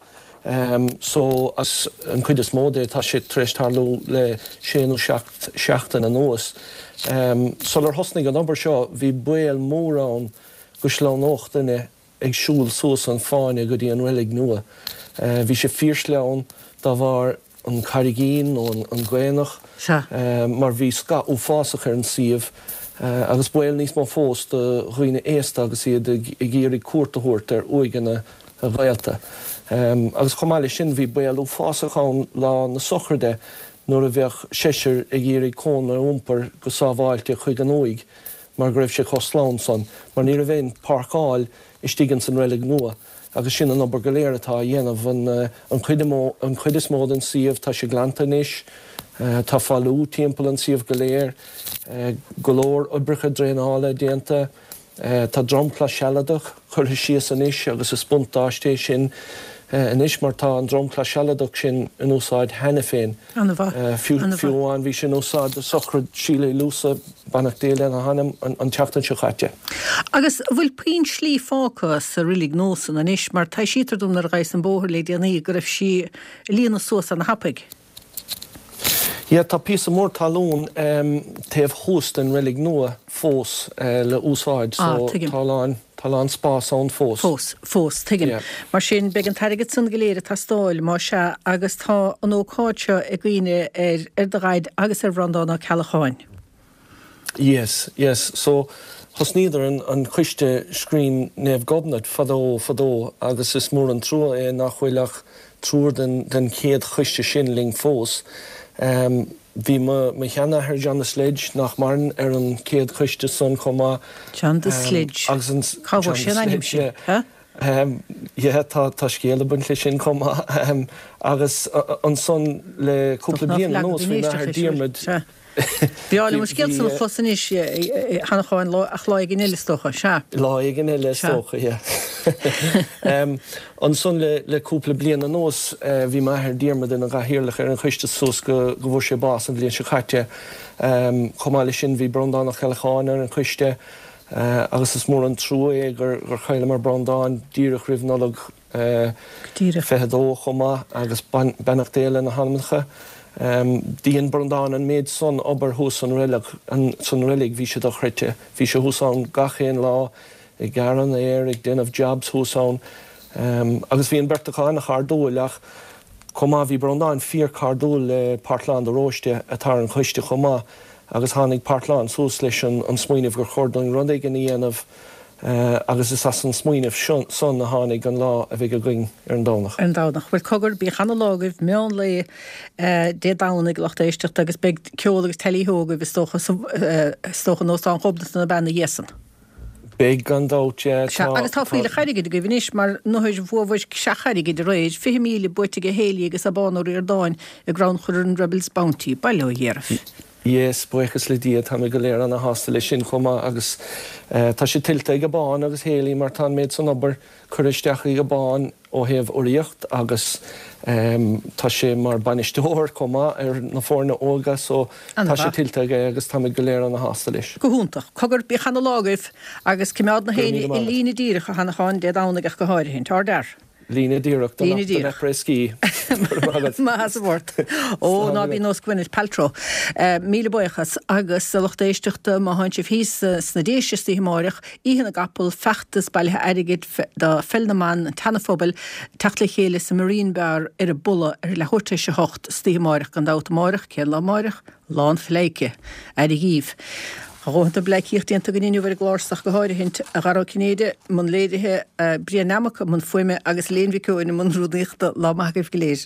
so agus an chuid is mó de tá sé tar éis tarlú le sé nó seacht seachtain anuas. Sular thosnaigh an obair seo bhí baol mór ann go sleamhnódh duine ag siúl suas an fáinne go dtí an reilig nua. Bhí sé fíorsleamhain dá bharr an carraigín nó an gcaonach mar bhí scáth uafásach ar an suíomh agus baol níos mó fós do dhaoine aosta agus iad ag iarraidh cuairt a thabhairt ar uaigheanna a ngaolta. Agus chomh maith leis sin bhí baol uafásach ann lá na sochraide nuair a bheadh seisear ag iarraidh cónra a iompar go sábháilte chuig an uaigh mar go raibh sé chomh sleamhain san mar ní raibh aon páirceáil istigh ins an reilig nua. Agus sin an obair go léir atá á dhéanamh. An chuid an chuid is mó den suíomh, tá sé glanta anois. Tá fálú timpeall an suíomh go léir. Go leor oibreacha draenála déanta. Tá dromchla sealadach curtha síos anois agus is buntáiste é sin anois mar tá an dromchla sealadach sin in úsáid cheana féin. An-mhaith. Fiú amháin bhí sé in úsáid do sochraid Síle Uí Luasa, beannacht Dé lena hanam, an tseachtain seo caite. Agus an bhfuil puinn slí fágtha sa roilig nua san anois, mar taibhsítear dom nuair a ghabhas an bóthar le déanaí go raibh sí ag líonadh suas ana-thapaidh. Yeah, tá píosa mór talún taobh thuas den reilig nua fós le úsáid so tá a lán, tá a lán spás ann fós. Fós, fós, tuigim. Yeah. Mar sin, beidh an t-airgead san go léir ag teastáil, más ea, agus tá an ócáid seo i gcuimhne ar, ar do dhaid agus ar Bhreandán Ó Ceallacháin. Yes, yes. So, thosnaíodar an, an coiste Scrín Naomh Gobnait fadó, fadó agus is mór an trua é nach bhfuil ach triúr den, den chéad choiste sin linn fós. Em, bhí mo, mo sheanathair John the Sledge, nach maireann, ar an chéad choiste san chomh maith. John the Sledge. Agus an, Cá bhfuair sé an ainm sin? Yeah. Huh? Em, yeah, tá, tá scéal ag baint leis sin chomh maith. Em, agus ansan le cúpla bliain anuas bhí m'athair Diarmuid, Sea. B'fhearr liom an scéal san a chlos anois, a Sheanacháin, ach lá éigin eile is dócha. Sea. Lá éigin eile is dócha, yeah. Ansan le cúpla bliain anuas bhí m'athair Diarmuid ina gcathaoirleach ar an choiste suas go go bhfuair sé bás an bhliain seo caite. Chomh maith leis sin bhí Breandán Ó Ceallacháin ar an choiste agus is mór an trua é gur chailleamar Breandán díreach roimh Nollaig 22 chomh maith agus beannacht Dé lena hanamnacha. Dhein Breandán an méid san obair thuas san reilig, bhí sé dochreidte. Bhí sé thuas ann gach aon lá ag gearradh an fhéir, ag déanamh jobs thuas ann. Agus bhí an bheirt acu an-chairdiúil ach chomh maith bhí Breandán fíor-chairdiúil le Parthlán de Róiste atá ar an choiste chomh maith agus tháinig Parthlán suas leis an smaoineamh gur chóir dúinn rud éigin a dhéanamh Agus is as an smaoineamh san a tháinig an lá a bheidh againn ar an Domhnach. Ar an Domhnach. Bhuel, cogar, bíodh ana-lá agaibh, meán lae Dé Domhnaigh, a lucht éisteachta, agus beidh ceol agus teilí-hó agaibh, is dócha, is dócha, in Óstán Ghobnait nó bean ina dhiaidh san. Beidh, gan dabht, yeah. Sea, agus tá fuílleach airgid agaibh anois, mar nuair bhuabhair seach airgid aréir, 20,000 buaite aige Héilí agus Abán Ó Ríordáin i gcrannchur an Rebels Bounty. Bail ó Dhia oraibh. Yes, buíochas le Dia, táimid go léir ana-shásta leis sin chomh maith agus tá sé tuillte ag Abán agus Héilí mar tá an méid san obair curtha isteach ag Abán ó thaobh urraíocht agus tá sé mar bainisteoir chomh maith ar na foirne óga so tá sé tuillte aige agus táimid go léir ana-shásta leis. Go hiontach. Cogar, bíodh ana-lá agaibh agus coimeád na héinne i líne díreach, a Sheanacháin, Dé Domhnaigh ach go háirithe. Ár d'fhear. Líne díreach don après-ski. Maith as an bport. Ó, ná bí nós Gwyneth Paltrow. Míle buíochas. Agus a lucht éisteachta, má thánn sibh thíos sna Déise istoíche amáireach, Oíche na gCapall, feachtas bailithe airgid do Pheil na mBan an tSeana-Phobail, teacht le chéile sa Marine Bar ar an bPolla ar leathuair tar éis a hocht istoíche amáireach gan dabht. Amáireach? Cén lá amáireach? Lá an Phleidhce. Aire dhíbh. Tá a dhóthain de bhpleidhcíocht déanta againn inniu ar an gclár so ach go háirithint, a Dhara Ó Cinnéide, i mbun léirithe, Brian Nammock i mbun fuaime agus Elaine Mhic Eoin i mbun rúnaíochta. Lá maith agaibh go léir.